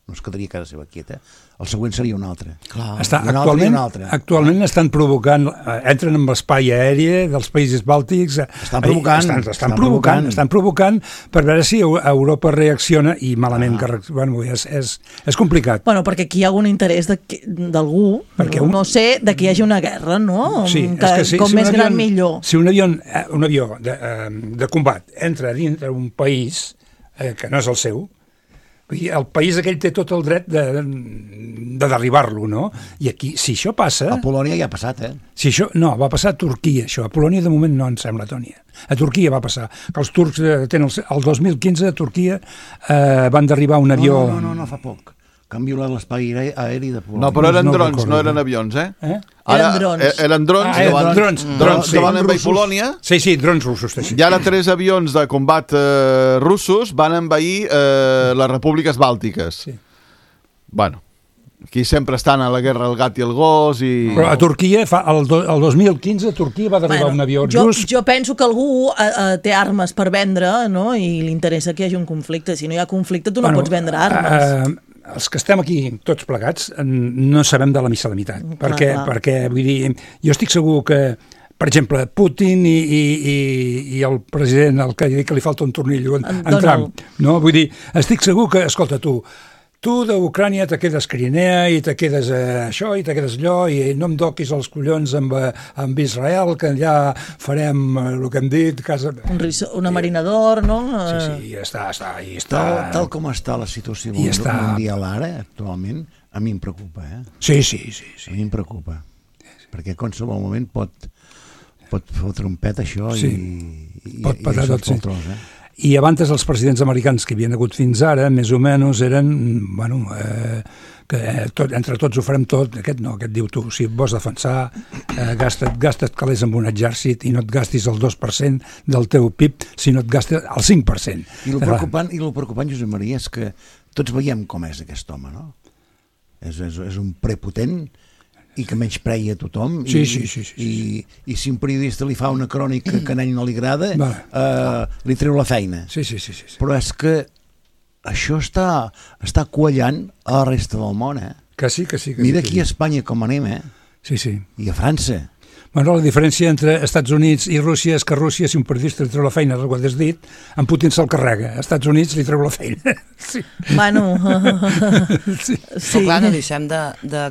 Speaker 3: No es quedaria a casa seva quieta. El següent seria un altre.
Speaker 4: Actualment estan provocant, entren en l'espai aeri dels països bàltics. Estan provocant per veure si Europa reacciona, i malament és complicat.
Speaker 2: Bueno, perquè aquí hi ha algun interès d'algú, no sé, de que hi hagi una guerra, no? Com més gran millor.
Speaker 4: Si un avió de combat entra dintre un país que no és el seu, el país aquell té tot el dret de derribar-lo, no? I aquí, si això passa...
Speaker 3: A Polònia ja ha passat,
Speaker 4: Si això, no, va passar a Turquia, això. A Polònia, de moment, no em sembla, Tònia. A Turquia va passar. Que els turcs tenen... El 2015 a Turquia van derribar un avió...
Speaker 3: No, fa poc. Canvio l'espai aeri de Polònia.
Speaker 6: No, però eren drons, no eren avions,
Speaker 2: Eren drons.
Speaker 6: Eren drons. Drons que van envair Polònia.
Speaker 4: Sí, drons russos.
Speaker 6: I ara 3 avions de combat russos van envair les repúbliques bàltiques. Bueno, aquí sempre estan a la guerra el gat i el gos i...
Speaker 4: Però a Turquia, el 2015, a Turquia va derribar un avió rus.
Speaker 2: Jo penso que algú té armes per vendre, no? I li interessa que hi hagi un conflicte. Si no hi ha conflicte, tu no pots vendre armes.
Speaker 4: Els que estem aquí tots plegats no sabem de la missa a la meitat, perquè vull dir, jo estic segur que, per exemple, Putin i el president, el que li falta un tornillo, en Trump, no? Vull dir, estic segur que, escolta, tu d'Ucrània te quedes Crimea i te quedes això i te quedes allò i no em toquis els collons amb Israel, que allà farem el que hem dit,
Speaker 2: una marinador, no?
Speaker 4: Sí, ja està.
Speaker 3: Tal com està la situació mundial ara, actualment, a mi em preocupa,
Speaker 4: Sí.
Speaker 3: A mi em preocupa, perquè a qualsevol moment pot fotre un pet això i
Speaker 4: pot patar tot, I abans els presidents americans que havien hagut fins ara, més o menys, eren, bueno, que entre tots ho farem tot, aquest no, aquest diu tu, si vols defensar, gasta't calés amb un exèrcit i no et gastis el 2% del teu PIB, sinó et gastes el 5%.
Speaker 3: I el preocupant, Josep Maria, és que tots veiem com és aquest home, no? És un prepotent i que menyspreia a tothom i si un periodista li fa una crònica que a ell no li agrada, li treu la feina.
Speaker 4: Sí.
Speaker 3: Però és que això està quallant a la resta del món,
Speaker 4: Que sí.
Speaker 3: Mira aquí a Espanya com anem,
Speaker 4: Sí.
Speaker 3: I a França.
Speaker 4: Bueno, la diferència entre Estats Units i Rússia és que a Rússia, si un periodista li treu la feina, ho has dit, en Putin se'l carrega. A Estats Units li treu la feina. Sí.
Speaker 2: Bueno...
Speaker 5: sí. Però clar, no deixem de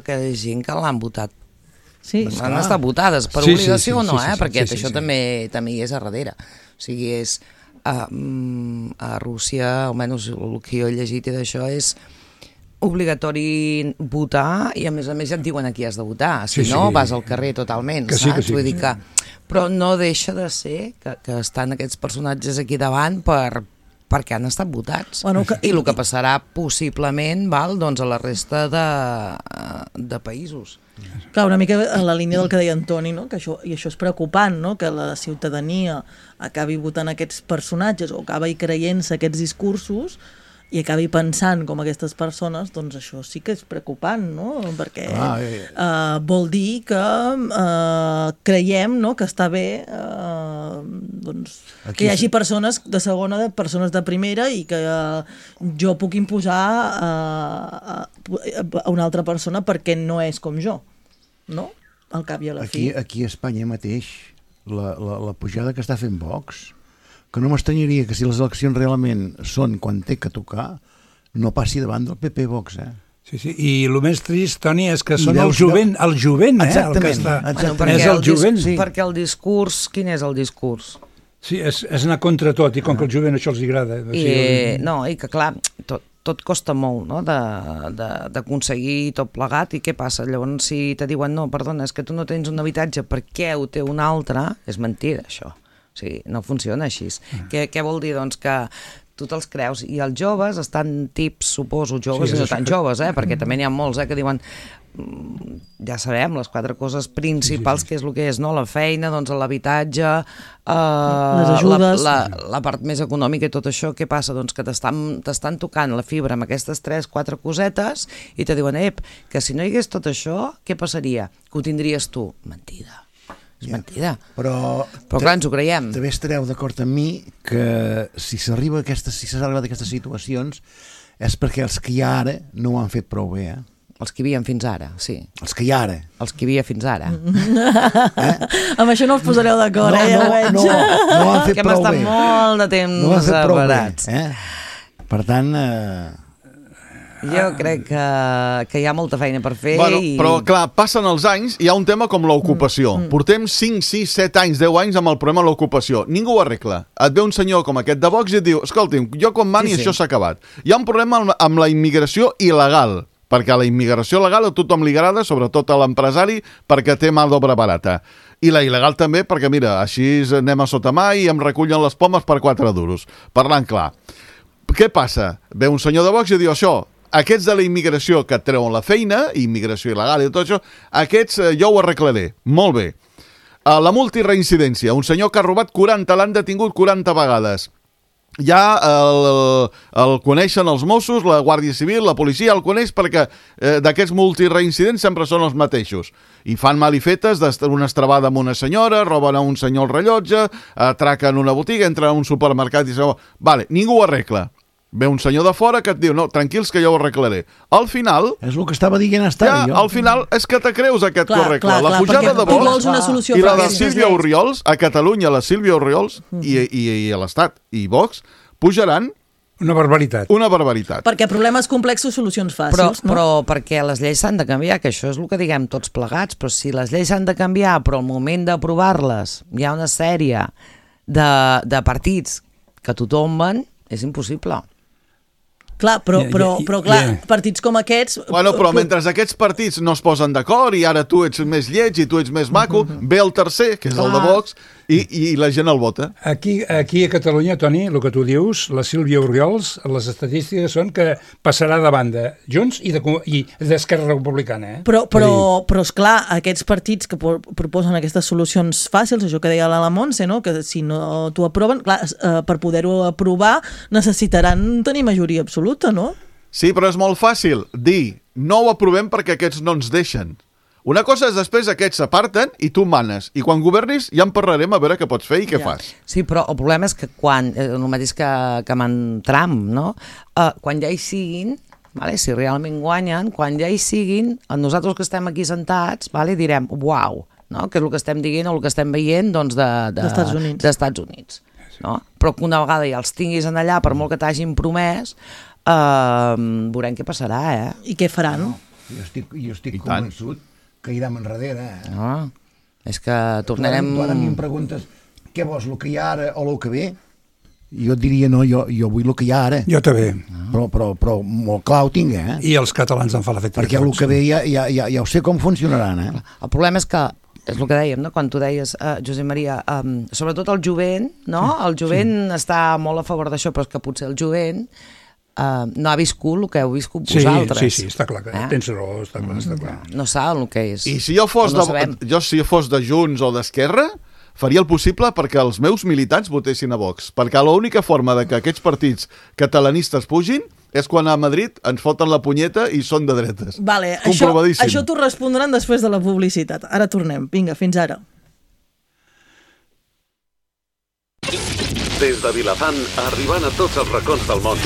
Speaker 5: que hi ha gent que l'han votat.
Speaker 2: Sí.
Speaker 5: Han estat votades per obligació o no, perquè això també hi és a darrere. O sigui, és... A Rússia, almenys el que jo he llegit i d'això, és obligatori votar i a més ja et diuen a qui has de votar, si no vas al carrer totalment, saps? Vull dir que... Però no deixa de ser que estan aquests personatges aquí davant perquè han estat votats. I el que passarà possiblement doncs, a la resta de països.
Speaker 2: Clar, una mica en la línia del que deia Antoni, no? Que això és preocupant, no? Que la ciutadania acabi votant aquests personatges o acabi creient-se aquests discursos i acabi pensant com aquestes persones, doncs això sí que és preocupant, no? Perquè vol dir que creiem, no? Que està bé doncs, que hi hagi persones de segona, persones de primera i que jo puc imposar a una altra persona perquè no és com jo, no? Al cap i a la fi.
Speaker 3: Aquí a Espanya mateix, la pujada que està fent Vox, que no m'estranyaria que si les eleccions realment són quan té que tocar, no passi davant del PP Vox,
Speaker 4: Sí, i el més trist, Toni, és que són el jovent,
Speaker 3: exactament,
Speaker 4: el que està...
Speaker 5: Perquè
Speaker 4: és el jovent.
Speaker 5: Perquè el discurs, quin és el discurs?
Speaker 4: Sí, és anar contra tot, i com que el jovent això els agrada.
Speaker 5: I que clar, tot costa molt, no?, d'aconseguir tot plegat, i què passa? Llavors, si te diuen, no, perdona, és que tu no tens un habitatge, per què ho té un altre? És mentida, això. O sigui, no funciona així. Què vol dir? Doncs que tu te'ls creus, i els joves estan tips, suposo, joves i no tan joves, perquè també n'hi ha molts que diuen, ja sabem, les 4 coses principals, que és el que és, no? La feina, doncs l'habitatge,
Speaker 2: les ajudes,
Speaker 5: la part més econòmica i tot això. Què passa? Doncs que t'estan tocant la fibra amb aquestes 3-4 cosetes i te diuen, que si no hi hagués tot això, què passaria? Que ho tindries tu. Mentida. És mentida. Però clar, ens ho creiem.
Speaker 3: També estareu d'acord amb mi que si s'arriba a aquestes situacions és perquè els que hi ha ara no ho han fet prou bé,
Speaker 5: Els que hi havia fins ara, sí.
Speaker 3: Els que hi ha ara.
Speaker 5: Els que hi havia fins ara.
Speaker 2: Amb això no us posareu d'acord,
Speaker 3: No ho han fet prou bé.
Speaker 5: Que hem estat molt de temps separats.
Speaker 3: Per tant...
Speaker 5: Jo crec que hi ha molta feina per fer.
Speaker 6: Però clar, passen els anys i hi ha un tema com l'ocupació. Portem 5, 6, 7 anys, 10 anys amb el problema de l'ocupació. Ningú ho arregla. Et ve un senyor com aquest de Vox i et diu, escolti'm, jo quan mani això s'ha acabat. Hi ha un problema amb la immigració il·legal, perquè a la immigració legal a tothom li agrada, sobretot a l'empresari, perquè té mà d'obra barata. I la il·legal també, perquè mira, així anem a sota mà i em recullen les pomes per 4 duros. Parlant clar. Què passa? Ve un senyor de Vox i diu això, aquests de la immigració que et treuen la feina, immigració il·legal i tot això, aquests jo ho arreglaré. Molt bé. La multireincidència, un senyor que ha robat 40, l'han detingut 40 vegades. Ja el coneixen els Mossos, la Guàrdia Civil, la policia, el coneix perquè d'aquests multireincidents sempre són els mateixos. I fan malifetes d'una estrabada amb una senyora, roben a un senyor el rellotge, atraquen una botiga, entren a un supermercat i diuen, vale, ningú ho arregla. Ve un senyor de fora que et diu, no, tranquils que jo ho arreglaré. Al final...
Speaker 3: És el que estava dient jo.
Speaker 6: Al final és que te creus aquest correcte. La pujada de Vox i la de Sílvia Orriols, a Catalunya la Sílvia Orriols i a l'Estat i Vox pujaran
Speaker 4: una barbaritat.
Speaker 6: Una barbaritat.
Speaker 2: Perquè problemes complexos, solucions fàcils, no?
Speaker 5: Però perquè les lleis s'han de canviar, que això és el que diguem tots plegats, però si les lleis s'han de canviar, però al moment d'aprovar-les hi ha una sèrie de partits que t'ho tomben, és impossible.
Speaker 2: Clar, però clar, partits com aquests...
Speaker 6: Bueno, però mentre aquests partits no es posen d'acord i ara tu ets més lleig i tu ets més maco, ve el tercer, que és el de Vox, i la gent el vota.
Speaker 4: Aquí a Catalunya, Toni, el que tu dius, la Sílvia Oriols, les estadístiques són que passarà de banda Junts i d'Esquerra Republicana.
Speaker 2: Però esclar, aquests partits que proposen aquestes solucions fàcils, això que deia la Montse, no? Que si no t'ho aproven, clar, per poder-ho aprovar necessitaran tenir majoria absoluta, no?
Speaker 6: Sí, però és molt fàcil dir no ho aprovem perquè aquests no ens deixen. Una cosa és després aquests s'aparten i tu manes. I quan governis ja en parlarem a veure què pots fer i què fas.
Speaker 5: Sí, però el problema és que quan, el mateix que amb Trump, no? Quan ja hi siguin, vale? Si realment guanyen, quan ja hi siguin, nosaltres que estem aquí sentats, vale? Direm, uau, no? Que és el que estem dient o el que estem veient doncs, d'Estats Units. No? Però que una vegada ja els tinguis en allà, per molt que t'hagin promès, veurem què passarà,
Speaker 2: I què faran?
Speaker 3: Jo estic convençut que irem enrere.
Speaker 5: No, és que tornarem...
Speaker 3: Tu ara a mi em preguntes què vols, el que hi ha ara o el que ve? Jo et diria no, jo vull el que hi ha ara.
Speaker 4: Jo també.
Speaker 3: Però molt clar ho tinc,
Speaker 4: I els catalans en fa l'efecte.
Speaker 3: Perquè el que ve ja ho sé com funcionaran,
Speaker 5: El problema és que és el que dèiem, no? Quan tu deies, Josep Maria, sobretot el jovent, no? El jovent està molt a favor d'això, però és que potser el jovent no ha viscut el que heu viscut vosaltres.
Speaker 4: Sí, està clar, tens raó, està clar.
Speaker 5: No saben el que és.
Speaker 6: I si jo fos de Junts o d'Esquerra, faria el possible perquè els meus militants votessin a Vox, perquè l'única forma de que aquests partits catalanistes pugin és quan a Madrid ens foten la punyeta i són de dretes.
Speaker 2: Vale, això t'ho respondran després de la publicitat. Ara tornem. Vinga, fins ara.
Speaker 7: Des de Vilafant, arribant a tots els racons del món.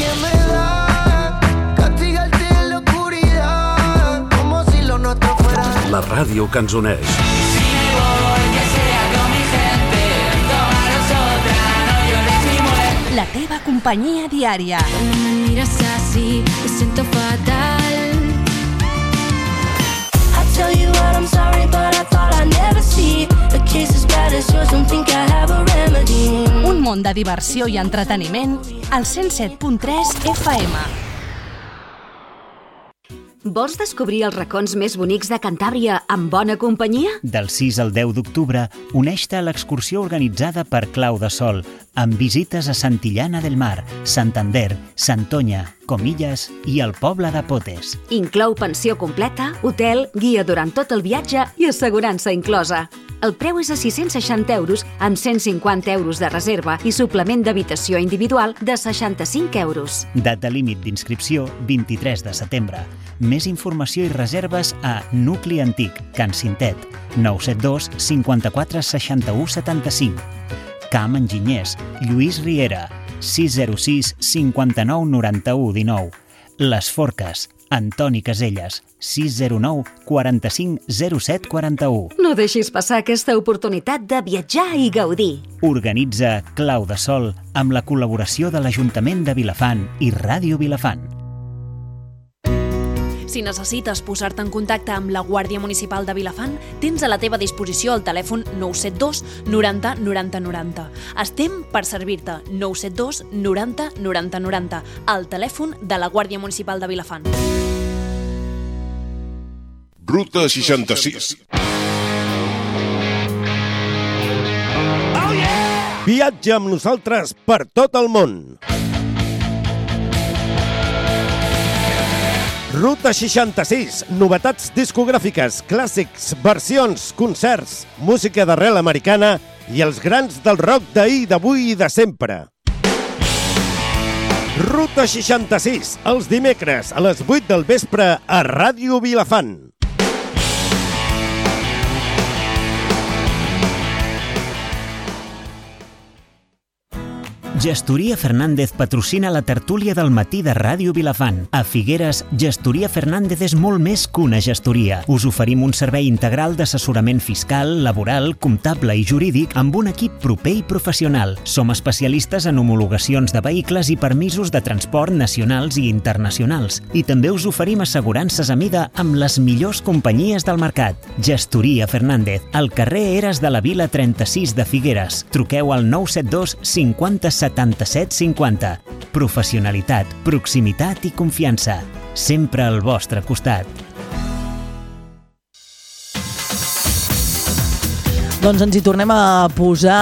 Speaker 7: La ràdio que ens uneix.
Speaker 8: La teva companyia diària.
Speaker 9: Me miras así, me siento fatal. I tell you what, I'm sorry, but I thought I'd never see a case as bad as yours, don't think I have a remedy.
Speaker 8: Un món de diversió i entreteniment al 107.3 FM.
Speaker 10: Vols descobrir els racons més bonics de Cantàbria amb bona companyia?
Speaker 1: Del 6 al 10 d'octubre, uneix-te a l'excursió organitzada per Clau de Sol, amb visites a Santillana del Mar, Santander, Santoña, Comillas i el poble de Potes.
Speaker 10: Inclou pensió completa, hotel, guia durant tot el viatge i assegurança inclosa. El preu és a 660 euros amb 150 euros de reserva i suplement d'habitació individual de 65 euros.
Speaker 1: Data límit d'inscripció 23 de setembre. Més informació i reserves a Nucli Antic, Can Cintet, 972 54 61 75. Camp Enginyers, Lluís Riera, 606 59 91 19. Les Forques, Antoni Caselles, 609 45 07 41.
Speaker 10: No deixis passar aquesta oportunitat de viatjar i gaudir.
Speaker 1: Organitza Clau de Sol amb la col·laboració de l'Ajuntament de Vilafant i Ràdio Vilafant.
Speaker 11: Si necessites posar-te en contacte amb la Guàrdia Municipal de Vilafant, tens a la teva disposició el telèfon 972 90 90 90. Estem per servir-te. 972 90 90 90. El telèfon de la Guàrdia Municipal de Vilafant.
Speaker 12: Ruta 66. Viatja amb nosaltres per tot el món. Ruta 66, novetats discogràfiques, clàssics, versions, concerts, música d'arrel americana i els grans del rock d'ahir, d'avui i de sempre. Ruta 66, els dimecres a les 8 del vespre a Ràdio Vilafant.
Speaker 1: Gestoria Fernández patrocina la tertúlia del matí de Ràdio Vilafant. A Figueres, Gestoria Fernández és molt més que una gestoria. Us oferim un servei integral d'assessorament fiscal, laboral, comptable i jurídic amb un equip proper i professional. Som especialistes en homologacions de vehicles i permisos de transport nacionals i internacionals. I també us oferim assegurances a mida amb les millors companyies del mercat. Gestoria Fernández, al carrer Eres de la Vila 36 de Figueres. Truqueu al 972 50 77 50. Professionalitat, proximitat i confiança. Sempre al vostre costat.
Speaker 2: Doncs ens hi tornem a posar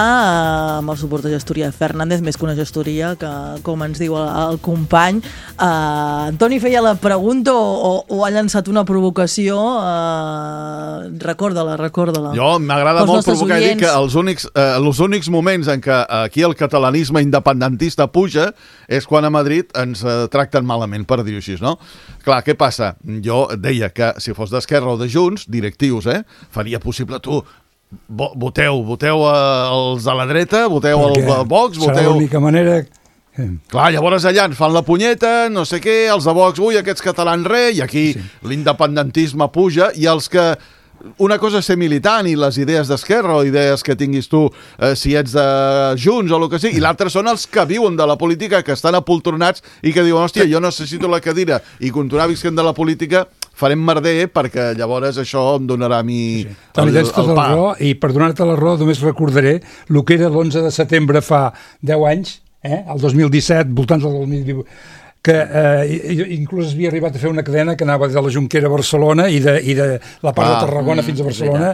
Speaker 2: amb el suport de Gestoria Fernández, més que una gestoria, que com ens diu el company. Antoni feia la pregunta o ha llançat una provocació? Recorda-la.
Speaker 6: Jo m'agrada molt provocar i dir que els únics moments en què aquí el catalanisme independentista puja és quan a Madrid ens tracten malament, per dir-ho així, no? Clar, què passa? Jo deia que si fos d'Esquerra o de Junts, directius, faria possible voteu els de la dreta, voteu el Vox, voteu...
Speaker 4: Serà l'única manera...
Speaker 6: Clar, llavors allà ens fan la punyeta, no sé què, els de Vox, aquests catalans i aquí l'independentisme puja, i els que... Una cosa és ser militant i les idees d'Esquerra o idees que tinguis tu si ets de Junts o el que sigui, i l'altre són els que viuen de la política, que estan apoltronats i que diuen, hòstia, jo necessito la cadira i continuar visquent de la política, farem merder perquè llavors això em donarà a mi el pa.
Speaker 4: I per donar-te la raó només recordaré el que era l'11 de setembre fa 10 anys, el 2017, voltants del 2018, que inclús havia arribat a fer una cadena que anava de la Jonquera a Barcelona i de la part de Tarragona fins a Barcelona.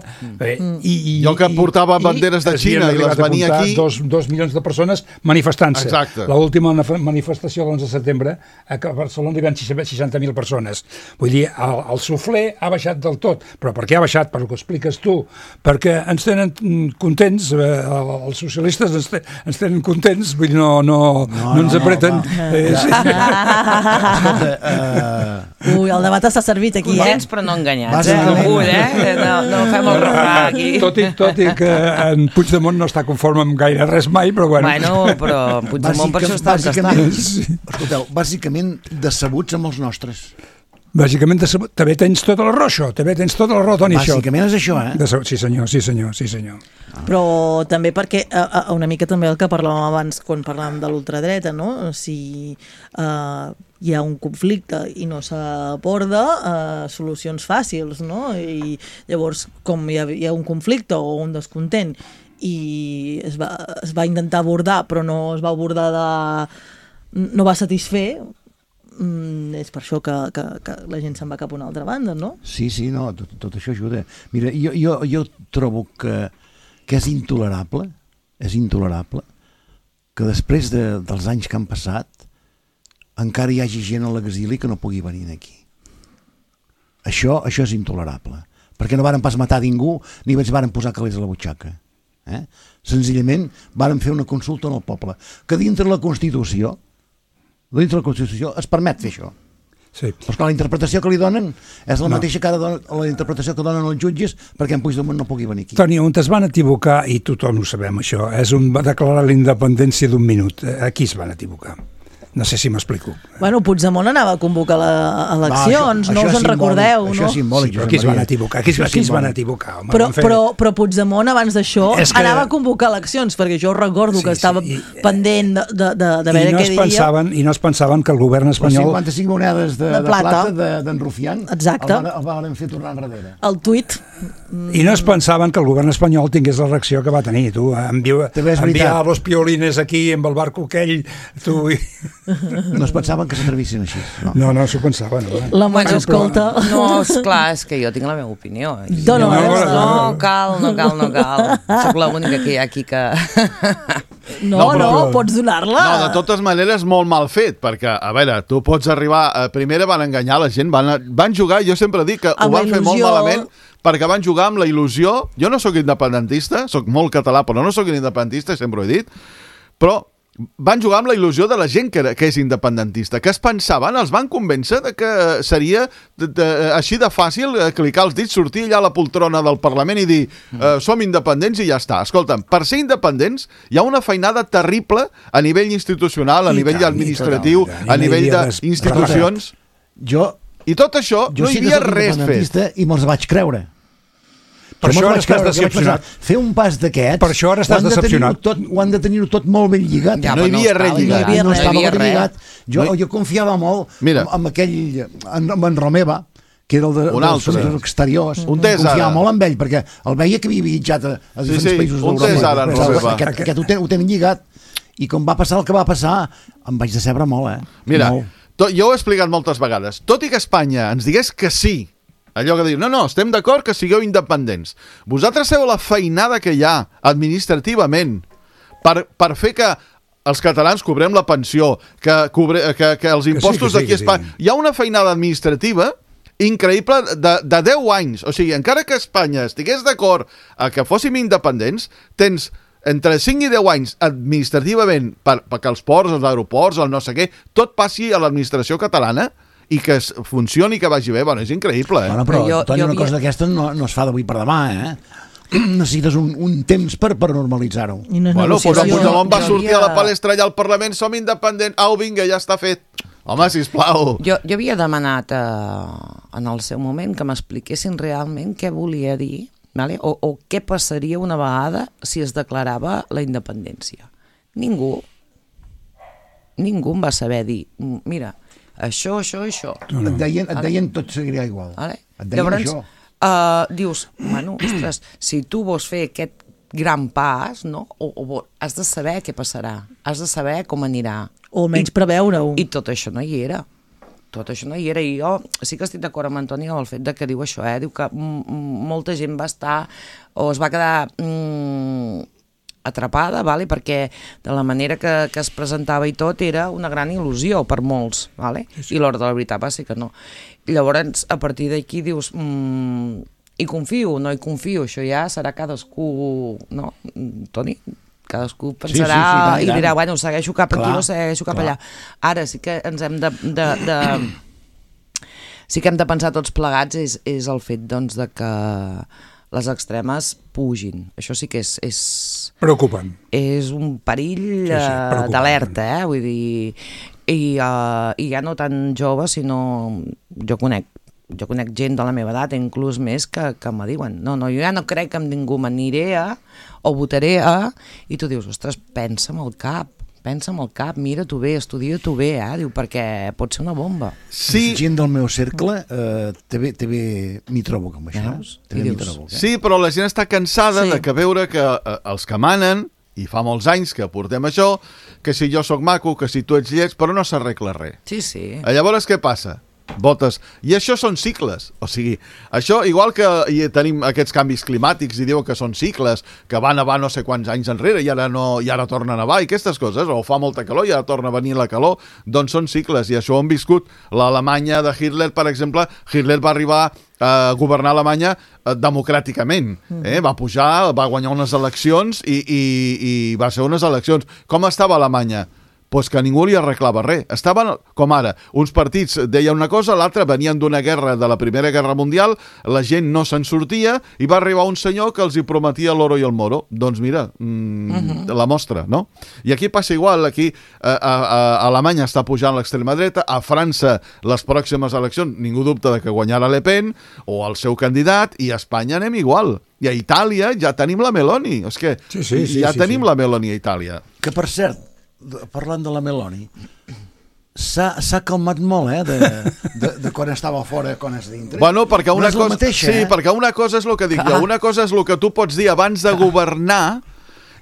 Speaker 6: Jo que portava banderes de Xina i les venia aquí...
Speaker 4: 2 milions de persones manifestant-se. L'última manifestació l'11 de setembre a Barcelona hi van 60.000 persones. Vull dir, el suflé ha baixat del tot. Però per què ha baixat? Per el que expliques tu. Perquè ens tenen contents, els socialistes ens tenen contents, vull dir, no ens apreten...
Speaker 2: Ui, el debat està servit aquí,
Speaker 5: Contents però no enganyats, no fem el refrà aquí.
Speaker 4: Tot i que en Puigdemont no està conforme amb gaire res mai, però bueno.
Speaker 5: Bueno, però Puigdemont per això està on està.
Speaker 3: Escolteu, bàsicament decebuts amb els nostres.
Speaker 4: Bàsicament, també tens tota la raó, això. També tens tota la raó, Toni, això.
Speaker 3: Bàsicament és això,
Speaker 4: Sí, senyor.
Speaker 2: Però també perquè una mica també el que parlàvem abans quan parlàvem de l'ultradreta, no? Si hi ha un conflicte i no s'aborda, solucions fàcils, no? I llavors, com hi ha un conflicte o un descontent i es va intentar abordar però no es va abordar no va satisfer, és per això que la gent se'n va cap a una altra banda, no?
Speaker 3: Sí, no, tot això ajuda. Mira, jo trobo que és intolerable que després dels anys que han passat encara hi hagi gent a l'exili que no pugui venir aquí. Això és intolerable, perquè no varen pas matar ningú ni ens varen posar calés a la butxaca. Senzillament varen fer una consulta al poble, que dintre la Constitució es permet fer això.
Speaker 4: Sí.
Speaker 3: Però clar, la interpretació que li donen és la mateixa que la interpretació que donen els jutges perquè en Puigdemont no pugui venir aquí.
Speaker 4: Toni, on es van equivocar, i tothom ho sabem això, va declarar la independència d'un minut. Aquí es van equivocar. No sé si m'explico.
Speaker 2: Bueno, Puigdemont anava a convocar eleccions, no us en recordeu, no?
Speaker 3: Això és simbòlic.
Speaker 4: Aquí es van equivocar.
Speaker 2: Però Puigdemont, abans d'això, anava a convocar eleccions, perquè jo recordo que estava pendent de veure què diria.
Speaker 4: I no es pensaven que el govern espanyol...
Speaker 3: Les 55 monedes de plata d'en Rufián el van fer tornar enrere.
Speaker 2: El tuit.
Speaker 4: I no es pensaven que el govern espanyol tingués la reacció que va tenir. Tu enviar los piolines aquí amb el barco aquell, tu...
Speaker 3: No es pensaven que s'atrevissin així.
Speaker 4: No s'ho pensaven.
Speaker 2: La Moix escolta.
Speaker 5: No, esclar, és que jo tinc la meva opinió.
Speaker 2: No
Speaker 5: cal. Soc l'única que hi ha aquí que...
Speaker 2: No, pots donar-la.
Speaker 6: No, de totes maneres, molt mal fet, perquè, a veure, tu pots arribar... Primera van enganyar la gent, van jugar, jo sempre dic que ho van fer molt malament, perquè van jugar amb la il·lusió. Jo no sóc independentista, sóc molt català, però no sóc independentista, sempre ho he dit, però van jugar amb la il·lusió de la gent que és independentista, que es pensaven, els van convèncer de que seria així de fàcil clicar els dits, sortir allà a la poltrona del Parlament i dir som independents i ja està. Escolta'm, per ser independents hi ha una feinada terrible a nivell institucional, a nivell administratiu, a nivell d'institucions. I tot això no hi havia res fet.
Speaker 3: I me'ls vaig creure.
Speaker 4: Per això ara estàs decepcionat.
Speaker 3: Fer un pas d'aquests...
Speaker 4: Per això ara estàs decepcionat.
Speaker 3: Ho han de tenir-ho tot molt ben lligat.
Speaker 6: No hi havia res lligat.
Speaker 3: No estava ben lligat. Jo confiava molt en aquell... amb en Romeva, que era el dels exteriors. Confiava molt en ell, perquè el veia que havia viatjat a diferents països d'Europa. Aquest ho tenen lligat. I com va passar el que va passar, em vaig decebre molt,
Speaker 6: Mira, jo ho he explicat moltes vegades. Tot i que Espanya ens digués que sí Allò que diu, no, estem d'acord que sigueu independents. Vosaltres sabeu la feinada que hi ha administrativament per fer que els catalans cobrem la pensió, que els impostos d'aquí a Espanya... Hi ha una feinada administrativa increïble de 10 anys. O sigui, encara que Espanya estigués d'acord a que fóssim independents, tens entre 5 i 10 anys administrativament perquè els ports, els aeroports, el no sé què, tot passi a l'administració catalana i que funcioni, que vagi bé. Bueno, és increïble, eh?
Speaker 3: Bueno, però, Toni, una cosa d'aquesta no es fa d'avui per demà, eh? Necessites un temps per normalitzar-ho.
Speaker 6: Bueno, doncs el Puigdemont va sortir a la palestra allà al Parlament, som independents, au, vinga, ja està fet. Home, sisplau.
Speaker 5: Jo havia demanat en el seu moment que m'expliquessin realment què volia dir, vale? o què passaria una vegada si es declarava la independència. Ningú em va saber dir, mira, això.
Speaker 3: Et deien tot seguiria igual.
Speaker 5: Vale?
Speaker 3: Et deien
Speaker 5: llavors,
Speaker 3: això.
Speaker 5: Dius, bueno, ostres, si tu vols fer aquest gran pas, no? o has de saber què passarà, has de saber com anirà.
Speaker 2: O almenys preveure-ho.
Speaker 5: I tot això no hi era. I jo sí que estic d'acord amb Antoni amb el fet de que diu això, diu que molta gent va estar o es va quedar atrapada, vale? Perquè de la manera que es presentava i tot era una gran il·lusió per molts, vale? I l'hora de la veritat va ser que no. Llavors, a partir d'aquí dius, hi confio, no hi confio, això ja serà cadascú, no, Toni? Cadascú pensarà i dirà, bueno, segueixo cap aquí o segueixo cap allà. Ara sí que ens hem sí que hem de pensar tots plegats és el fet, doncs, de que les extremes pugin. Això sí que és
Speaker 4: preocupant.
Speaker 5: És un perill d'alerta, vull dir, i ja no tan jove, sinó jo conec gent de la meva edat, inclús més, que me diuen, no, jo ja no crec que amb ningú m'aniré o votaré i tu dius, ostres, pensa amb el cap, mira-t'ho bé, estudia-t'ho bé, diu, perquè pot ser una bomba.
Speaker 3: Sí. Gent del meu cercle també m'hi trobo com això.
Speaker 6: Sí, però la gent està cansada de veure que els que manen, i fa molts anys que portem això, que si jo sóc maco, que si tu ets lleig, però no s'arregla res.
Speaker 5: Sí.
Speaker 6: Llavors què passa? Votes. I això són cicles. O sigui, això, igual que tenim aquests canvis climàtics i diuen que són cicles, que va nevar no sé quants anys enrere i ara torna a nevar i aquestes coses, o fa molta calor i ara torna a venir la calor, doncs són cicles i això ho hem viscut. L'Alemanya de Hitler, per exemple, Hitler va arribar a governar Alemanya democràticament. Va pujar, va guanyar unes eleccions i va ser unes eleccions. Com estava Alemanya? Pues que ningú li arreglava res. Estaven, com ara, uns partits deien una cosa, l'altre venien d'una guerra, de la Primera Guerra Mundial, la gent no se'n sortia i va arribar un senyor que els hi prometia l'oro i el moro. Doncs mira, la mostra, no? I aquí passa igual, aquí a Alemanya està pujant l'extrema dreta, a França les pròximes eleccions, ningú dubta de que guanyarà Le Pen o el seu candidat, i a Espanya anem igual. I a Itàlia ja tenim la Meloni. És que ja tenim la Meloni a Itàlia.
Speaker 3: Que, per cert, parlant de la Meloni, s'ha calmat molt, de quan estava fora a quan és dintre.
Speaker 6: Bueno, perquè una cosa...
Speaker 3: mateixa,
Speaker 6: perquè una cosa és el que dic jo, una cosa és el que tu pots dir abans de governar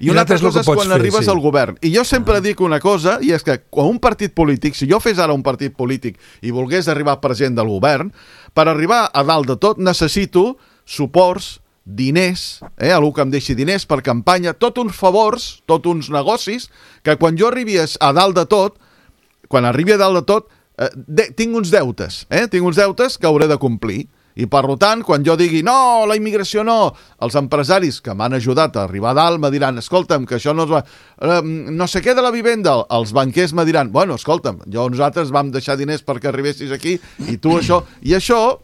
Speaker 6: i una altra cosa és quan arribes al govern. I jo sempre dic una cosa, i és que quan un partit polític, si jo fes ara un partit polític i volgués arribar president del govern, per arribar a dalt de tot necessito suports, diners, algú que em deixi diners per campanya, tots uns favors, tots uns negocis, que quan jo arribi a dalt de tot, quan arribi a dalt de tot, tinc uns deutes, tinc uns deutes que hauré de complir. I per tant, quan jo digui no, la immigració no, els empresaris que m'han ajudat a arribar a dalt me diran, escolta'm, que això no es va... no sé què de la vivenda, els banquers me diran, bueno, escolta'm, nosaltres vam deixar diners perquè arribessis aquí i tu això... I això,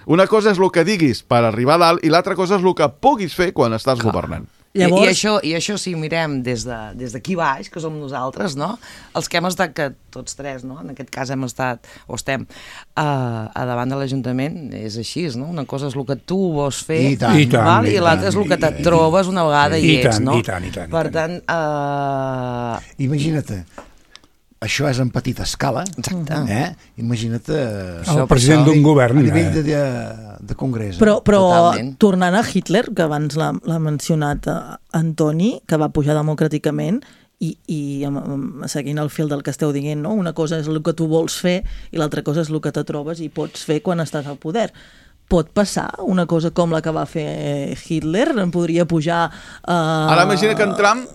Speaker 6: una cosa és el que diguis per arribar a dalt i l'altra cosa és el que puguis fer quan estàs governant.
Speaker 5: Llavors... I això si mirem des d'aquí baix, que som nosaltres, no? Els que hem estat, que tots tres, no? En aquest cas hem estat, o estem, a davant de l'Ajuntament, és així, no? Una cosa és el que tu vols fer, i l'altra és el que et trobes una vegada i ets, no?
Speaker 4: I tant.
Speaker 5: Per tant...
Speaker 3: Imagina't, això és en petita escala.
Speaker 5: Exacte.
Speaker 3: Imagina't...
Speaker 4: El president d'un govern.
Speaker 3: A nivell de congrés.
Speaker 2: Però tornant a Hitler, que abans l'ha mencionat Antoni, que va pujar democràticament, i seguint el fil del que esteu dient, no? Una cosa és el que tu vols fer i l'altra cosa és el que te trobes i pots fer quan estàs al poder. pot passar una cosa com la que va fer Hitler? Podria pujar...
Speaker 6: Ara imagina que en Trump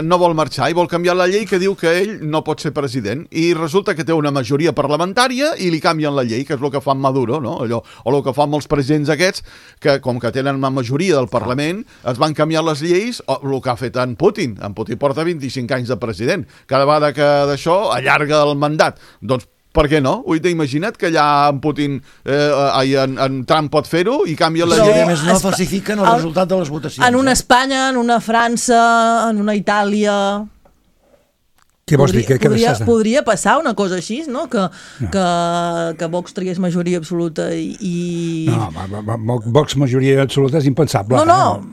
Speaker 6: no vol marxar i vol canviar la llei que diu que ell no pot ser president i resulta que té una majoria parlamentària i li canvien la llei, que és el que fa Maduro, no? Allò, o el que fan molts presidents aquests, que com que tenen una majoria del Parlament, es van canviar les lleis, o el que ha fet en Putin. En Putin porta 25 anys de president. Cada vegada que d'això allarga el mandat. Doncs per què no? Imagina't que allà en Putin, en Trump pot fer-ho i canvia la llei.
Speaker 3: A més, no falsifiquen el resultat de les votacions.
Speaker 2: En una Espanya, en una França, en una Itàlia...
Speaker 4: Què vols dir?
Speaker 2: Podria passar una cosa així, no? Que Vox tragués majoria absoluta i...
Speaker 4: No, Vox majoria absoluta és impensable.
Speaker 2: No.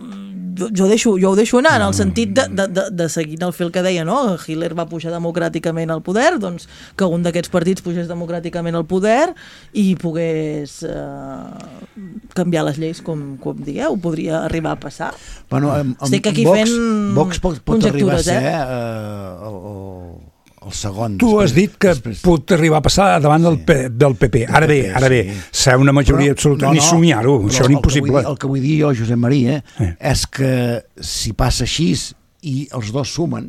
Speaker 2: Jo ho deixo anar, en el sentit de seguint el fil que deia, no? Hitler va pujar democràticament al poder, doncs que un d'aquests partits pugés democràticament al poder i pogués canviar les lleis, com digueu, podria arribar a passar.
Speaker 3: Bueno,
Speaker 2: estic aquí fent
Speaker 3: Vox pot arribar a ser el segon.
Speaker 4: Tu has dit que pot arribar a passar davant del PP. Ara bé, ser una majoria absoluta, ni somiar-ho, això és impossible.
Speaker 3: El que vull dir jo, Josep Maria, és que si passa així i els dos sumen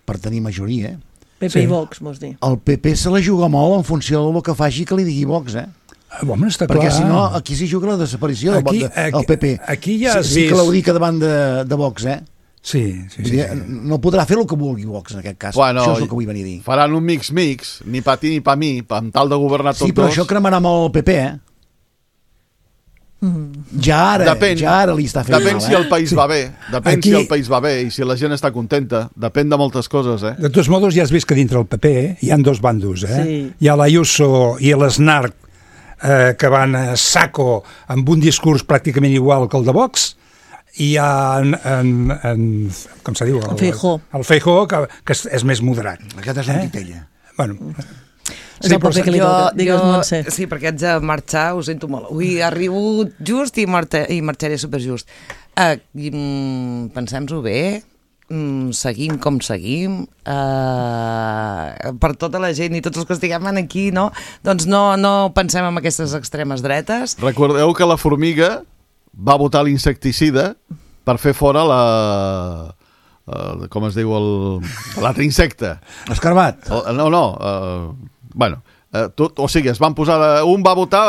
Speaker 3: per tenir majoria...
Speaker 2: PP i Vox, vols dir?
Speaker 3: El PP se la juga molt en funció del que faci que li digui Vox,
Speaker 4: Home, està clar.
Speaker 3: Perquè si no, aquí s'hi juga la desaparició del PP.
Speaker 4: Aquí ja has vist...
Speaker 3: Sí que l'hauria davant de Vox,
Speaker 4: Sí.
Speaker 3: No podrà fer el que vulgui Vox en aquest cas.
Speaker 6: Bueno,
Speaker 3: això és el que vull venir a dir.
Speaker 6: Faran un mix, ni pa ti ni pa mi, amb tal de governar tots dos.
Speaker 3: Sí, però això cremarà molt el PP, Ja ara li està fent
Speaker 6: Depèn si el país va bé. Si el país va bé i si la gent està contenta. Depèn de moltes coses,
Speaker 4: De tots modos, ja has vist que dintre el PP hi ha dos bandos,
Speaker 2: Sí.
Speaker 4: Hi ha l'Ayuso i l'Snark que van a saco amb un discurs pràcticament igual que el de Vox, i hi ha com se diu? El Feijóo, que és més moderat.
Speaker 3: Aquest és un titella.
Speaker 4: Bueno,
Speaker 2: és el paper que li toca, digues, Montse.
Speaker 5: Sí, perquè haig de marxar, ho sento molt. Avui arribo just i marxaré superjust. Pensem-ho bé, seguim com seguim, per tota la gent i tots els que estiguem aquí, no? Doncs no pensem en aquestes extremes dretes.
Speaker 6: Recordeu que la formiga va votar l'insecticida per fer fora com es diu l'altre insecte.
Speaker 3: L'escarbat.
Speaker 6: Bueno, o sigui, es van posar... Un va votar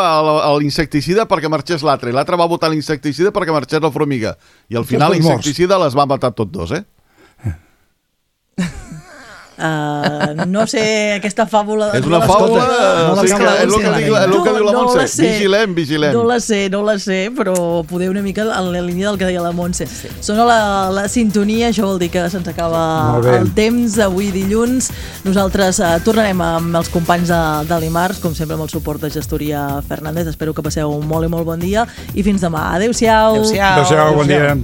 Speaker 6: l'insecticida perquè marxés l'altre, i l'altre va votar l'insecticida perquè marxés la formiga. I al final l'insecticida les va matar tots dos,
Speaker 2: No sé, aquesta fàbula...
Speaker 6: És una fàbula... És el que diu la Montse. Vigilem.
Speaker 2: No la sé, però poder una mica en la línia del que deia la Montse. Sona la sintonia, això vol dir que se'ns acaba el temps. Avui dilluns nosaltres tornarem amb els companys de l'Imarts, com sempre amb el suport de Gestoria Fernández. Espero que passeu un molt i molt bon dia i fins demà. Adéu-siau.
Speaker 4: Adéu-siau, bon dia.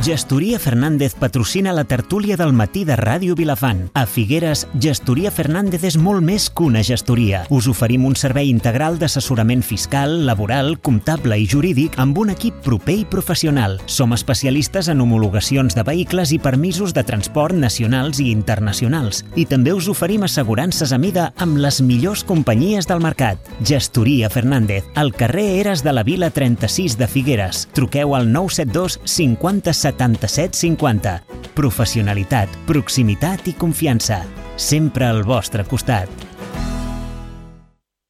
Speaker 1: Gestoria Fernández patrocina la tertúlia del matí de Ràdio Vilafant. A Figueres, Gestoria Fernández és molt més que una gestoria. Us oferim un servei integral d'assessorament fiscal, laboral, comptable i jurídic amb un equip proper i professional. Som especialistes en homologacions de vehicles i permisos de transport nacionals i internacionals. I també us oferim assegurances a mida amb les millors companyies del mercat. Gestoria Fernández, al carrer Eres de la Vila 36 de Figueres. Truqueu al 972 50 77 50. Professionalitat, proximitat i confiança. Sempre al vostre costat.